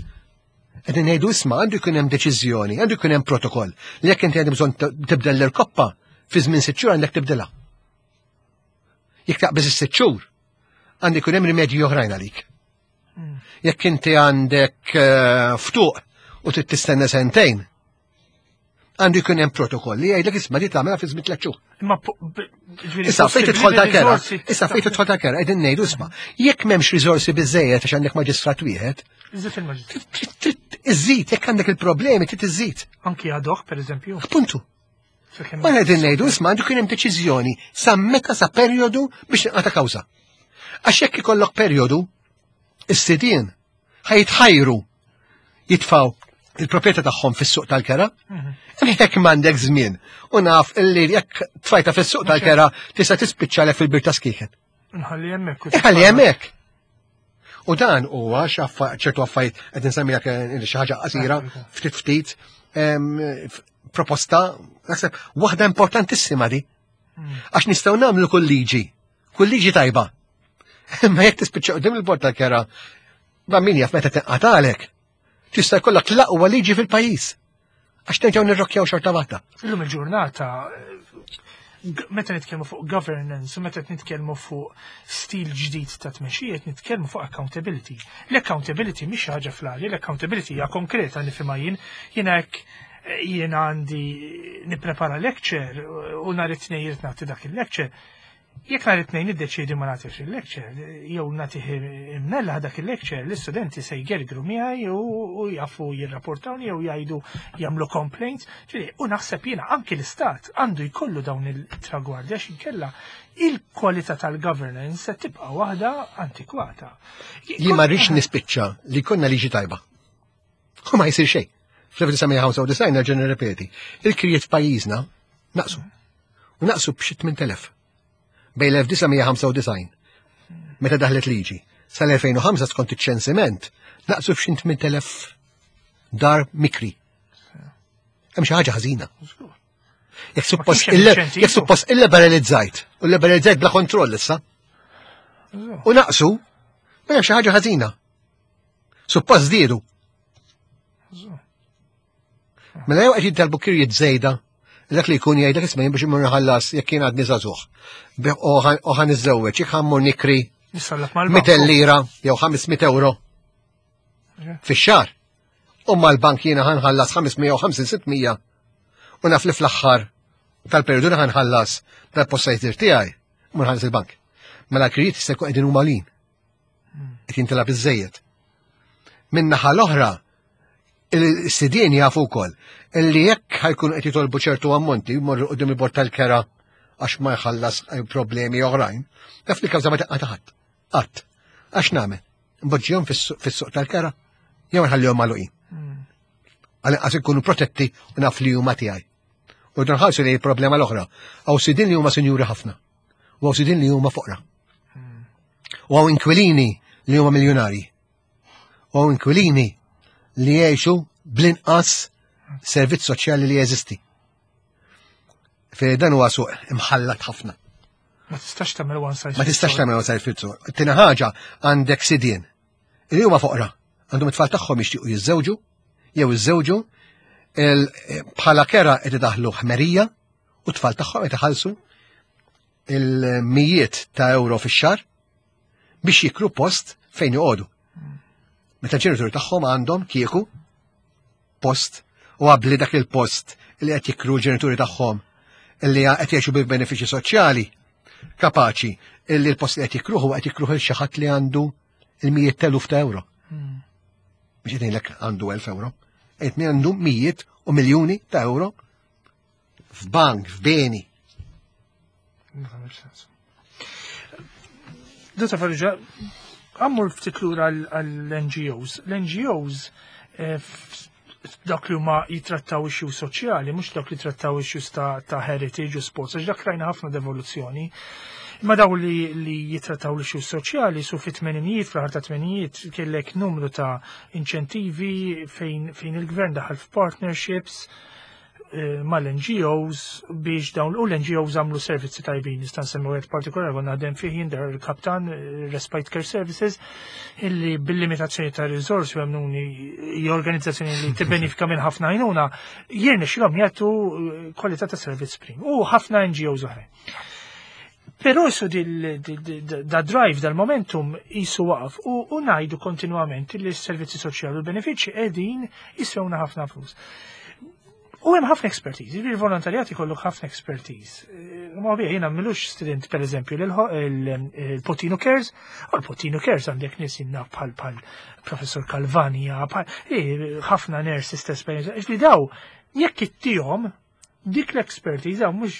Qegħdin ngħidu isma' għandu jkun hemm deċiżjoni, għandu jkun hemm protokoll li jekk inti għandek bżonn tibdel l-irkoppa fi żmien sitt xhur għandek tibdilha. Jekk taqbeż is-sitt xhur, għandu jkun hemm rimedji oħrajn għalik. Jekk inti għandek eh, ftuq u trid tistenna sentejn, għandu jkun hemm protokoll li jgħidlek isma' li tagħmilha fi żmien tliet xhur. Imma Issa fejn tidħol ta' kera, issa fejn tidħol ta' kera, qegħdin ngħidu isma' jekk m'hemmx riżorsi biżejjed għax għandek maġistrat wieħed, Iżid il-maġistrat. Iżid, jekk għandek il-problemi, trid iżid. Anki ad hoc, per eżempju. Appuntu. Ma qegħdin ngħidu isma' għandu kien hemm deċiżjoni sa meta sa perjodu biex tinqata' kawża. Għax jekk ikollok perjodu, is-sidien ħajtħajru jitfaw il-proprjetà tagħhom fis-suq tal-kera. Mhm. Jekk m'għandek żmien u naf illi jekk tfajta fis-suq tal-kera tista' tispiċċa lek fil-bir ta' skieken. Nħalli hemmhekk. Nħalli hemmhekk. U dan huwa ċertu affarijiet qed insemmilek eh, xi ħaġa qasira ftit ftit proposta naħseb waħda importantissima di. Hmm. Għax nistgħu nagħmlu kull liġi, kull liġi tajba. Imma jekk tispiċċa qudiem il-bord tal-kera, ma min jaf meta tinqatalek. Tista' jkollok l-aqwa liġi fil-pajjiż. Għax nerġgħu nirrokkjaw xorta waħda. Illum il-ġurnata meta nitkellmu fuq governance u meta nitkellmu fuq stil ġdid ta' tmexxija qed nitkellmu fuq accountability. L-accountability mhix ħaġa fl-arja, l-accountability hija konkreta nifhimha jien, jiena hekk eh, jiena għandi nipprepara lecture u nhar it-tnejn irid nagħti dak il-lecture. Jekk nhar it-Tnejn niddeċiedi ma nagħtix il-lecture, jew nagħtih imnella dak il-lecture, l-istudenti se jgergru miegħi u jafu jirrapportawni jew jgħidu jagħmlu complaints. Ġifieri, u naħseb jiena anki l-istat għandu jkollu dawn il-tragwardi għax inkella il-kwalità tal-governance se tibqa' waħda antikwata. Jien ma rridx nispiċċa li jkollna liġi tajba. U ma jsir xejn. Fl-1995 nerġa' nirrepeti, il-kirjiet f'pajjiżna naqsu. U naqsu b'xi 8000. Bejn l-1995 meta daħlet liġi sal-2005 skont iċ-ċensiment naqsu f'xi 8000 dar mikri. Hemm xi ħaġa ħażina. Jekk suppost jekk suppost illiberalizzajt, u liberalizzajt bla kontroll issa. U naqsu, ma hemm xi ħaġa ħażina. Suppost żdiedu. Mela jew qed jintalbu kirjiet żejda dak li jkun jgħidlek isma' jien biex imur nħallas jekk jien għadni żagħżugħ. U ħan iżżewweġ, jekk ħammur nikri 200 lira jew 500 euro fix-xahar. U mal-bank jiena ħanħallas 550-600 u naf li fl-aħħar tal-periodu ħanħallas tal-post tiegħi, mur ħallas il-bank. Mela l-kirjiet jista' jkun qegħdin huma lin. Qed jintilab iżejjed. Min-naħa l-oħra, il-sidien jafu wkoll illi jekk ħajkunu qed jitolbu ċertu ammonti jmorru qudiem il-bord tal-kera għax ma jħallas problemi oħrajn, taf li kawża ma taqqa' taħat. Qatt. Għax nagħmel? Nboġġihom fis-suq tal-kera jew nħallihom magħluqin. Hmm. Għal ikunu protetti u naf li huma tiegħi. U nħarsu li problema l-oħra. Għaw sidin li huma sinjuri ħafna. U għaw sidin li huma foqra. Hmm. U għaw inkwilini li huma miljonari. U għaw inkwilini li jgħixu bl-inqas servizz soċjali li jeżisti. Fej dan huwa suq imħallat ħafna. Ma tistax tagħmel one size. Ma tistax tagħmel one size fits all. Tina ħaġa għandek sidien li huma foqra, għandhom it-tfal tagħhom jixtiequ jiżżewġu jew iżżewġu bħala kera qed idaħlu ħmerija u t-tfal tagħhom qed iħallsu il-mijiet ta' euro fix-xahar biex jikru post fejn joqogħdu. Meta l-ġenituri tagħhom għandhom kieku post u għabli dak il-post li qed jikru l-ġenituri tagħhom li qed jgħixu bil-benefiċi soċjali kapaċi illi l-post li qed jikruh huwa qed jikruh il xi ħadd li għandu il-mijiet teluf ta' euro. Hmm. Biex qed ngħidlek għandu 1000 euro. Qed għandu mijiet u miljuni ta' euro f'bank, f'beni. Dota Farrugia, għammur ftit lura għall-NGOs. L-NGOs eh, dak li huma jitrattaw issues soċjali, mhux dak li trattaw issues ta', ta heritage u sports, għax dak rajna ħafna devoluzzjoni. Imma daw li, li jitrattaw l-issues soċjali su fit-tmeninijiet, fl-aħħar ta' tmeninijiet, kellek numru ta' inċentivi fejn, fejn il-gvern daħal f'partnerships eh, mal-NGOs biex dawn u l-NGOs għamlu servizzi tajbin. Nista' nsemmi wieħed partikolari konna naħdem fih jien dar il-kaptan eh, Respite Care Services illi bil-limitazzjoni ta' riżorsi u għamnuni hija organizzazzjoni li tibbenifika minn ħafna għajnuna jirnexxilhom jagħtu eh, kwalità ta' servizz prim u ħafna NGOs oħrajn. Però jisu da drive dal-momentum jisu waqaf u, u najdu kontinuament li s-servizzi soċjali u l-benefiċċji qegħdin jiswewna ħafna flus. U hemm ħafna expertise, jiġifieri il-volontarjat ikollok ħafna expertise. Eh, ma bija jiena milux student per eżempju il-Potino Cares, u l-Potino Cares għandek nies jinnaf bħal bħal professor Calvania, bħal eh, ħafna nurses ta' esperjenza, li daw jekk ittihom dik l-expertise għaw mux.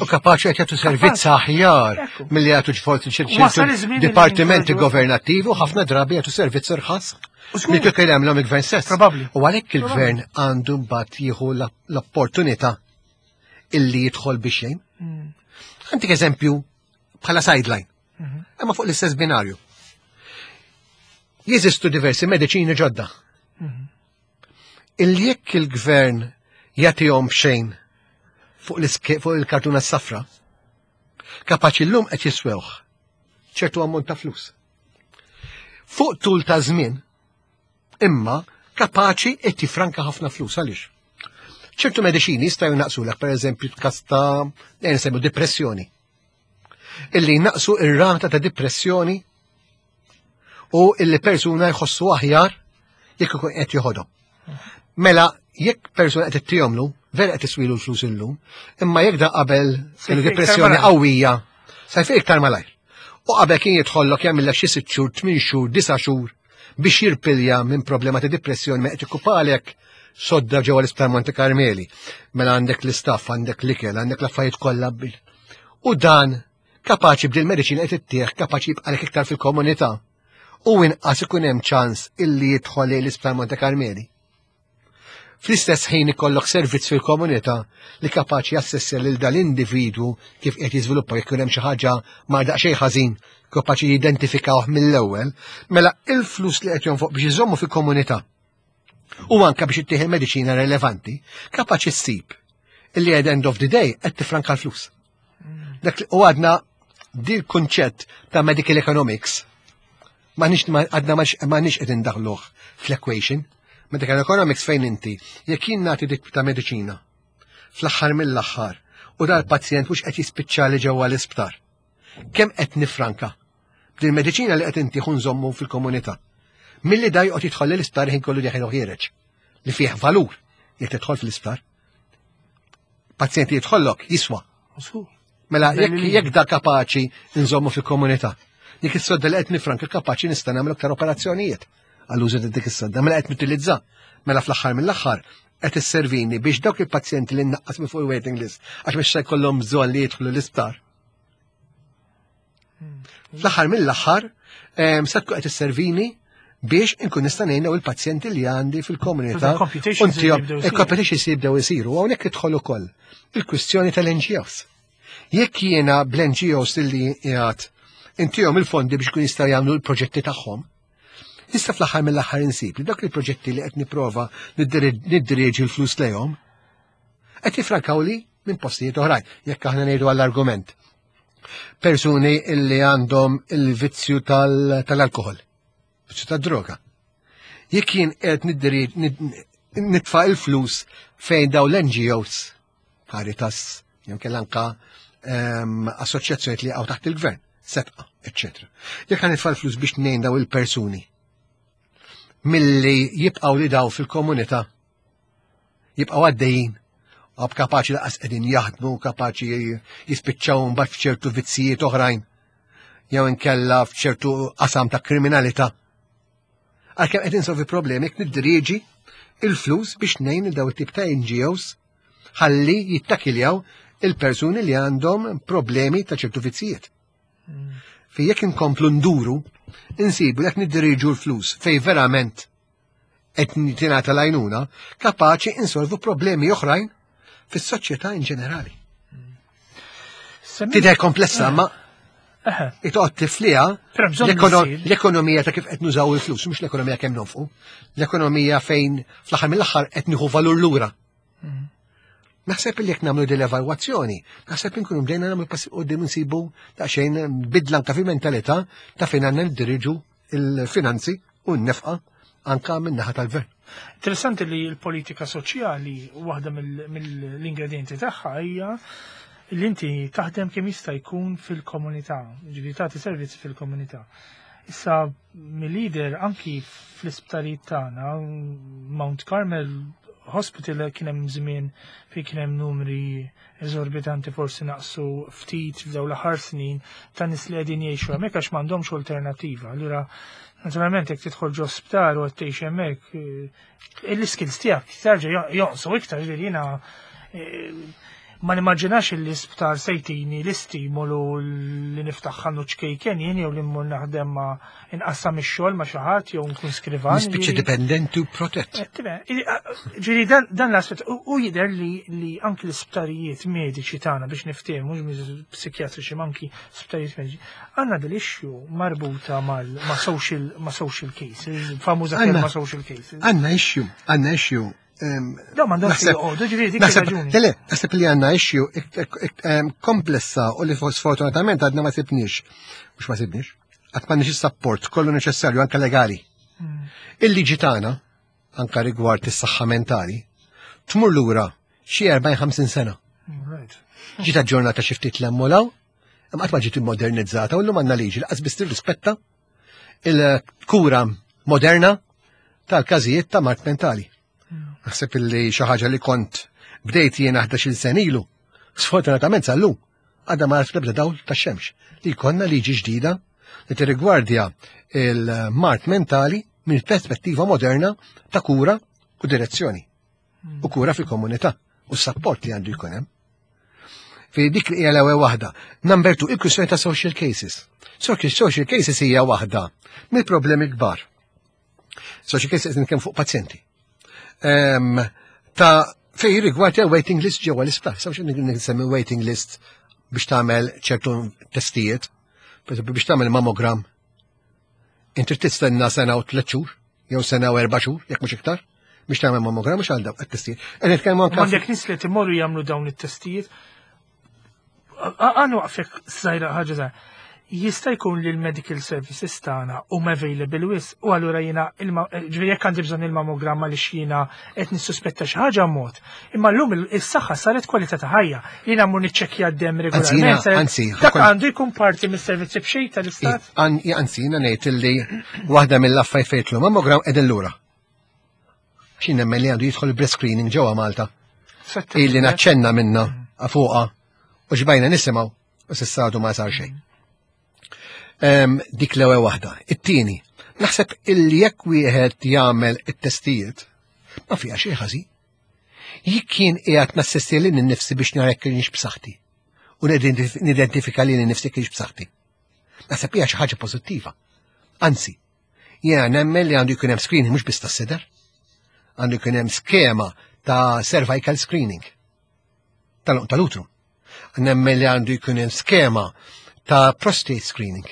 U kapaċi qed jagħtu servizz aħjar milli jagħtu forsi ċertu dipartimenti governattivi u ħafna drabi jagħtu servizz irħas. Li kieku jagħmlhom il-gvern stess. Probabbli. U għalhekk il-gvern għandu mbagħad jieħu l-opportunità illi jidħol biex jgħin. Mm. Għandik eżempju bħala sideline. Mhm. Imma fuq l-istess binarju. Jeżistu diversi mediċini ġodda. Mhm. Illi jekk il-gvern jagħtihom b'xejn fuq il-kartuna s-safra, kapaċi llum qed jiswewh ċertu ammont ta' flus. Fuq tul ta' żmien, imma kapaċi qed jifranka ħafna flus għaliex. ċertu mediċini jistgħu jnaqsulek pereżempju każ ta' nsemmu depressjoni. Illi jnaqsu ir-rata ta' depressjoni u illi persuna jħossu aħjar jekk ikun qed joħodhom. Mela, jekk persuna qed ittihomlu, vera qed iswilu l-flus illum, imma jekk da qabel kellu depressjoni qawwija, sa jfiq iktar malajr. U qabel kien jidħollok jagħmillek xi sitt xhur, tmien xhur, disa' xhur biex jirpilja minn problema ta' depressjoni ma qed ikkupalek sodda ġewwa l-Isptar Monte Carmeli. Mela għandek l-istaff, għandek l-ikel, għandek l-affarijiet kollha. U dan kapaċi b'dil mediċina qed ittieħ kapaċi jibqalek iktar fil-komunità u inqas ikun hemm ċans illi jidħol lejn l-Isptar Monte Carmeli. Fl-istess ħin ikollok servizz fil-komunità li kapaċi jassessja lil dal-individwu kif qed jiżviluppa jekk hemm xi ħaġa ma daqsxejn ħażin kapaċi jidentifikawh mill-ewwel, mela il-flus li qed jonfoq biex iżommu fil-komunità u anka biex ittieħ il-mediċina relevanti, kapaċi ssib illi at end of the day qed tifranka l-flus. Dak u għadna dil kunċett ta' medical economics ma nix għadna ma nix qed indaħluh fl-equation. Medical economics fejn inti jekk jien nagħti dik ta' mediċina fl-aħħar mill-aħħar u dal-pazjent mhux qed jispiċċali ġewwa l-isptar. Kemm qed nifranka din mediċina li qed inti nżommu fil-komunità. Milli da joqgħod jidħol l-isptar ħin kollu dieħel u ħiereġ li fih valur jekk tidħol fl-isptar. Pazjenti jidħollok jiswa. Mela jekk da kapaċi nżommu fil-komunità. Dik is-sodda li qed nifranka kapaċi nista' nagħmel aktar operazzjonijiet għall-użu ta' dik is-sodda. Mela qed nutilizza. Mela fl-aħħar mill-aħħar qed isservini biex dawk il-pazjenti li nnaqqas minn fuq il-waiting list għax mhux se jkollhom bżonn li jidħlu l-isptar. Fl-aħħar mill-aħħar se tkun qed isservini biex inkun nista' ngħin il-pazjenti li għandi fil-komunità. Il-competitions jibdew isiru hawnhekk idħol ukoll il-kwistjoni tal-NGOs. Jekk jiena bl-NGOs li qiegħed intihom il-fondi biex kun jistgħu jagħmlu l-proġetti tagħhom, Issa fl-aħħar mill-aħħar insib li dak il-proġetti li qed nipprova niddirieġi l-flus lejhom qed jifrankawli minn postijiet oħrajn, jekk aħna ngħidu għall-argument. Persuni illi għandhom il-vizzju tal-alkohol, vizzju tad-droga. Jekk jien qed nitfa' il-flus fejn daw l-NGOs, Caritas, jew kellha anka ehm, assoċjazzjonijiet li jaqgħu taħt il-gvern, setqa, eċċetera. Jekk ħan nitfa' l-flus biex ngħin daw il-persuni milli jibqgħu li daw fil-komunità jibqgħu għaddejjin għab kapaċi laqas qegħdin jaħdmu, kapaċi jispiċċaw mbagħad f'ċertu vizzijiet oħrajn jew inkella f'ċertu qasam ta' kriminalità. Għalkemm qed insolvi problemi jekk niddirieġi il-flus biex ngħin daw it-tip ta' NGOs ħalli jittakiljaw il-persuni li għandhom problemi ta' ċertu vizzijiet. Fi jekk inkomplu nduru, insibu jekk niddirieġu l-flus fej verament qed tingħata l-għajnuna, kapaċi insolvu problemi oħrajn fis-soċjetà in ġenerali. Tidher komplessa, ma Itoqgħod tifliha l-ekonomija ta' kif qed nużaw il-flus, mhux l-ekonomija kemm nonfqu, l-ekonomija fejn fl-aħħar mill-aħħar qed nieħu valur lura. Naħseb li jekk nagħmlu din l-evalwazzjoni, naħseb li nkunu bdejna nagħmlu pass qudiem insibu daqsxejn bidla anke fil-mentalità ta' fejn għandna niddiriġu il-finanzi u n-nefqa anka min-naħa tal-gvern. Interessanti li l-politika soċjali waħda mill-ingredienti tagħha hija li inti taħdem kemm jista' jkun fil-komunità, ġifieri tagħti servizzi fil-komunità. Issa mill-lider anki fl-isptarijiet tagħna, Mount Carmel Hospital kien hemm żmien fejn kien hemm numri eżorbitanti forsi naqsu ftit f'dawn l-aħħar snin ta' nies li qegħdin jgħixu hemmhekk għax m'għandhomx alternattiva. Allura naturalment jekk tidħol ġo sptar u qed tgħix hemmhekk, eh, l-iskills tiegħek terġa' jonqsu iktar ġifieri jiena eh, ma nimmaġinax li sptar se jtini l-istimolu li niftaħ ħanut ċkejken jien jew li mmur naħdem ma inqassam ix-xogħol ma' xi ħadd jew nkun skrivan. Nispiċċa dipendenti u protett. Eh, ġifieri dan l-aspett u jidher li anki l-isptarijiet mediċi tagħna biex niftehmu mhux psikjatriċi ma anki sptarijiet mediċi, għandna dil issue marbuta ma' social ma' social cases, famuża kelma social cases. Għandna issue, għandna issue Da m'għandhomx joqogħdu, ġifieri dik raġuni. Le, naħseb li għandna issue komplessa u li sfortunatament għadna ma sibniex. Mhux ma sibniex. Qatt m'għandniex is-sapport kollu neċessarju anke legali. Il-liġi tagħna anke rigward is-saħħa mentali tmur lura xi 40-50 sena. Ġiet aġġornata xi ftit l-emmolaw, imma qatt ma ġiet immodernizzata u llum għandna liġi li qas biss tirrispetta il-kura moderna tal-każijiet ta' mart mentali. Naħseb illi xi ħaġa li kont bdejt jiena 11-il sen ilu, sfortunatament sal-lum, għadha ma l-ebda dawl tax-xemx li jkollna liġi ġdida li tirrigwardja il-mart mentali minn perspettiva moderna ta' kura u direzzjoni u kura fil-komunità u s-sapport li għandu jkun hemm. Fi dik li hija l-ewwel waħda. Number two, il-kwistjoni ta' social cases. Social cases hija waħda mill-problemi kbar. Social cases qed nitkellem fuq pazjenti. Ta' fej rigward waiting list ġewwa l-isptar. Sa mhux nsemmi waiting list biex tagħmel ċertu testijiet, per biex tagħmel mammogram. Inti tistenna sena u tliet xhur, jew sena u erba' xhur, jekk mhux iktar, biex tagħmel mammogram mhux għal dawk it-testijiet. Qed nitkellmu anke Għandek nies li timorru jagħmlu dawn it-testijiet. Għan waqfek żgħira ħaġa żgħira. Jista' jkun li l-medical services tagħna huma available wis u allura jiena ġifieri jekk għandi bżonn il-mammogramma li x'jiena qed nissuspetta xi ħaġa mod. Imma llum is-saħħa saret kwalità ta' ħajja. Jiena mmur niċċekkja d-demm regolarment. Anzi, dak għandu jkun parti mis-servizzi b'xejn tal-istat. Anzi, jiena ngħid illi waħda mill-affarijiet fejn jidħlu mammogram qegħdin lura. Xi nemmen li għandu jidħol breast screening ġewwa Malta. Illi naċċenna minna fuqha u xbajna nisimgħu u s'issa għadu ma sar xejn. Dik l-ewwel waħda. It-tieni, naħseb illi jekk wieħed jagħmel it-testijiet ma fiha xejn ħażin. Jekk kien qiegħed nassisti lil nnifsi biex nara jekk kienx b'saħħti u nidentifika lil nnifsi kienx b'saħħti. Naħseb hija xi ħaġa pożittiva. Anzi, jiena nemmen li għandu jkun hemm screening mhux biss tas-sider. Għandu jkun hemm skema ta' cervical screening tal-utru. Nemmen li għandu jkun hemm skema ta' prostate screening.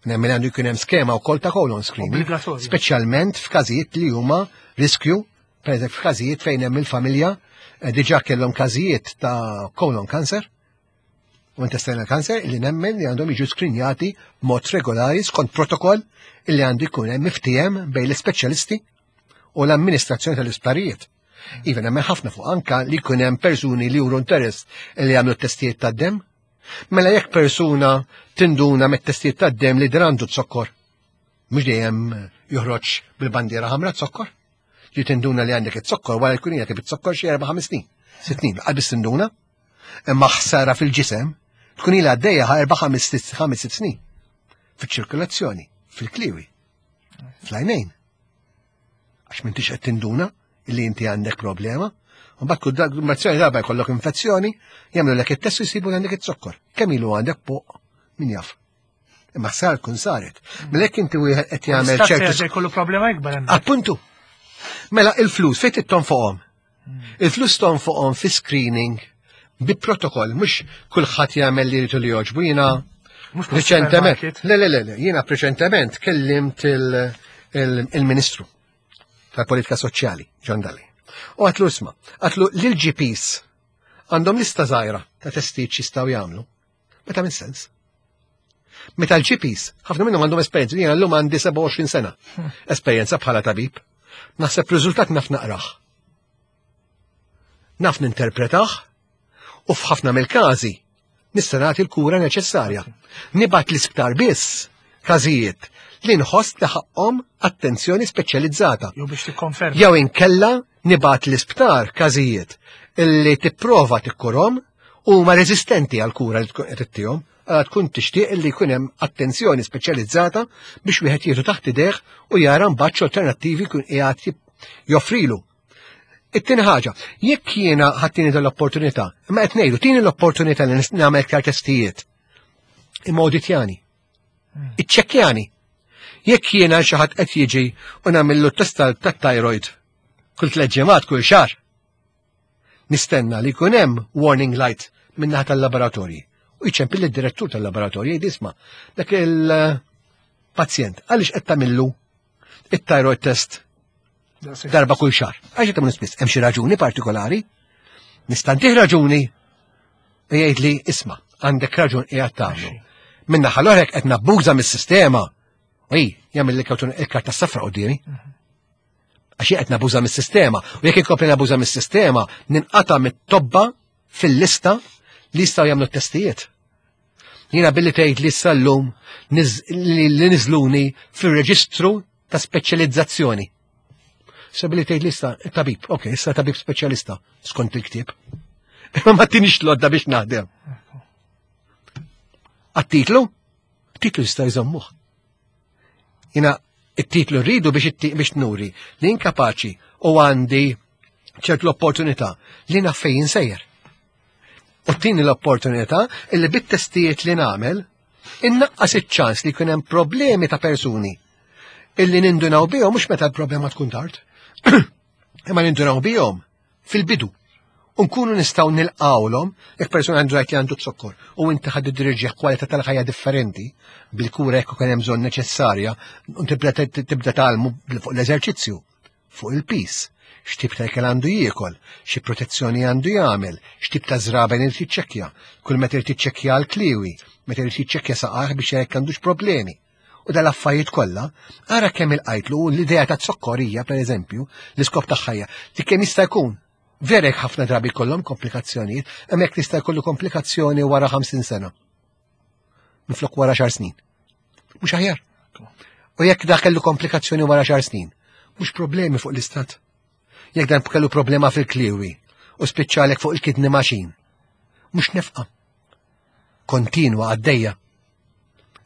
Nemmen li għandu jkun hemm skema wkoll ta' colon screening. Speċjalment f'każijiet li huma riskju, pereżempju f'każijiet fejn hemm il-familja eh, diġà kellhom każijiet ta' colon cancer u intestinal cancer li nemmen li għandhom jiġu skrinjati mod regolari skont protokoll li għandu jkun hemm miftiehem bejn l-ispeċjalisti u l-amministrazzjoni tal-isptarijiet. Iva nemmen ħafna fuq anka li jkun hemm persuni li juru interess li jagħmlu testijiet tad-demm. Mela jekk persuna tinduna mit-testijiet tad-demm li drandu zokkor, mhux dejjem joħroġ bil-bandiera ħamra zokkor, li tinduna li għandek it-zokkor wara jkun qiegħed bit-zokkor xi erba' ħames snin. Sitt snin, qabel tinduna, imma ħsara fil-ġisem tkun ilha għaddejja erba' ħames sitt snin. Fiċ-ċirkolazzjoni, fil-kliwi, fl-għajnejn. Għax m'intix qed tinduna li inti għandek problema. Mbagħad kull darba darba jkollok infezzjoni, jagħmlu lek it-test jsibu għandek it-zokkor. Kemm ilu għandek poq min jaf. Imma sar kun saret. Mela jekk inti wieħed qed jagħmel ċertu. jkollu problema ikbar hemm. Appuntu. Mela il-flus fejn titton fuqhom. Il-flus ton fuqhom fi screening Bi protokoll, mhux kulħadd jagħmel li jrid li jogħġbu jiena reċentement. Le, le, le, le, jiena preċentement kellimt il-Ministru tal-Politika Soċjali, John Dalli. U għatlu isma, għatlu l-GPs għandhom lista żgħira ta' testijiet x'jistgħu jagħmlu. Meta minn sens. Meta l-GPs, ħafna minnhom għandhom esperjenza, jiena llum għandi 27 sena esperjenza bħala tabib. Naħseb riżultat naf naqrah. Naf ninterpretah u f'ħafna mill-każi nista' nagħti l-kura neċessarja. Nibgħat l-isptar biss każijiet li nħoss li ħaqhom attenzjoni speċjalizzata. Jew biex tikkonferma. Jew inkella nibgħat l-isptar każijiet illi tipprova tikkurhom u huma reżistenti għal kura li tkun qed ittihom, għala tkun tixtieq li jkun hemm attenzjoni speċjalizzata biex wieħed jieħdu taħt idejh u jara mbagħad x'alternattivi jkun qiegħed joffrilu. It-tieni ħaġa, jekk jiena ħattini l-opportunità, imma qed ngħidu tieni l-opportunità li nagħmel iktar testijiet. Imma awditjani. Iċċekkjani. Jekk jiena xi ħadd qed jiġi u nagħmillu test tat-thyroid kull tliet ġimgħat kull xahar. Nistenna li jkun hemm warning light min-naħa tal-laboratorji. U jċempil id-direttur tal-laboratorji jgħid isma' dak il-pazjent għaliex qed tagħmillu it-thyroid test darba kull xahar. Għax qed tagħmlu spiss, hemm xi raġuni partikolari? Nista' ntih raġuni u jgħid li isma' għandek raġun qiegħed tagħmlu. Minna ħalorek qed nabbuża mis-sistema. Ej, jagħmel il-karta safra quddiemi. Għax qed nabuża mis-sistema. U jekk inkompli nabuża mis-sistema, ninqata' mit-tobba fil-lista li jistgħu jagħmlu t-testijiet. Jiena billi tgħid li issa llum li niżluni fir-reġistru ta' speċjalizzazzjoni. Sa billi tgħid li issa tabib, ok, issa tabib speċjalista skont il-ktieb. Imma ma tinix lodda biex naħdem. Għat-titlu? Titlu jista' jżommuh. Jina it-titlu rridu biex biex nuri li inkapaċi u għandi ċert l-opportunità li naf fejn sejjer. U tini l-opportunità illi bit-testijiet li nagħmel innaqqas iċ-ċans li jkun hemm problemi ta' persuni illi nindunaw bihom mhux meta l-problema tkun tard. Imma nindunaw bihom fil-bidu. U nkunu nistgħu nilqawlhom jekk persuna għandu li għandu zokkor u inti ħad dirġieħ kwalità tal-ħajja differenti bil-kura jekk ukoll hemm bżonn neċessarja u tibda tibda tgħallmu fuq l-eżerċizzju, fuq il-pis, x'tip ta' ikel għandu jiekol, xi protezzjoni għandu jagħmel, x'tip ta' żraben irid jiċċekkja, kull meta irid jiċċekkja l-kliwi, meta irid jiċċekkja saqajh biex jekk għandux problemi. U dal-affarijiet kollha, ara kemm il-qajtlu l-idea ta' zokkorija, per eżempju, l-iskop tagħha hija li kemm jista' jkun vera jekk ħafna drabi jkollhom komplikazzjonijiet, hemm jekk tista' jkollu komplikazzjoni wara 50 sena. Minflok wara xar snin. Mhux aħjar. U jekk dak kellu komplikazzjoni wara xar snin, mhux problemi fuq l-istat. Jekk dan kellu problema fil-kliwi u spiċċalek fuq il-kidney machine, mhux nefqa. Kontinwa għaddejja.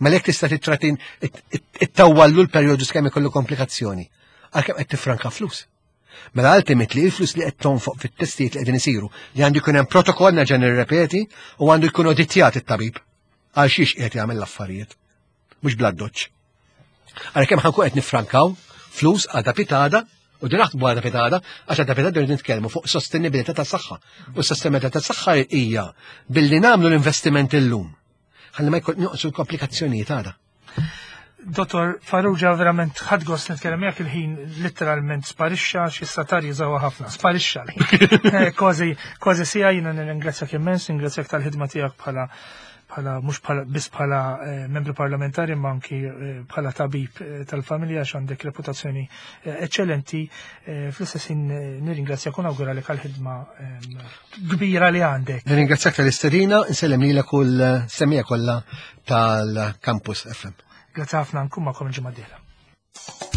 Mela jekk tista' titratin ittawwallu l-perjodu skemm ikollu komplikazzjoni, għalkemm qed tifranka flus. Mela ultimately il-flus li qed tonfoq fit-testijiet li qegħdin isiru li għandu jkun hemm protokoll nerġa' nirrepeti u għandu jkun oditjat it-tabib għal xiex qiegħed jagħmel l-affarijiet. Mhux bla doċċ. Għalkemm ħankun qed nifrankaw flus għada pitada u din naħdmu għada pitada għax għada pitada rrid nitkellmu fuq sostenibilità tas-saħħa. U s-sostenibilità tas-saħħa hija billi nagħmlu l-investiment illum ħalli ma jkun noqsu l-komplikazzjonijiet għada. Dottor Farrugia verament ħadd gost nitkellem miegħek il-ħin litteralment sparixxa xi satar jiżgħu ħafna, sparixxa l-ħin. Eh, kważi kważi sija jiena nirringrazzjak immens, ningrazzjak tal-ħidma tiegħek bħala bħala mhux bħala biss bħala eh, membru parlamentari ma anki eh, bħala tabib eh, tal-familja għax għandek reputazzjoni eċċellenti. Fl-istess ħin nirringrazzjak u nawguralek għall-ħidma kbira li għandek. Nirringrazzjak tal-istedina, nsellem lilek u l-semija kollha tal-Campus FM. Grazzi ħafna nkun magħkom il-ġimgħa d-dieħla.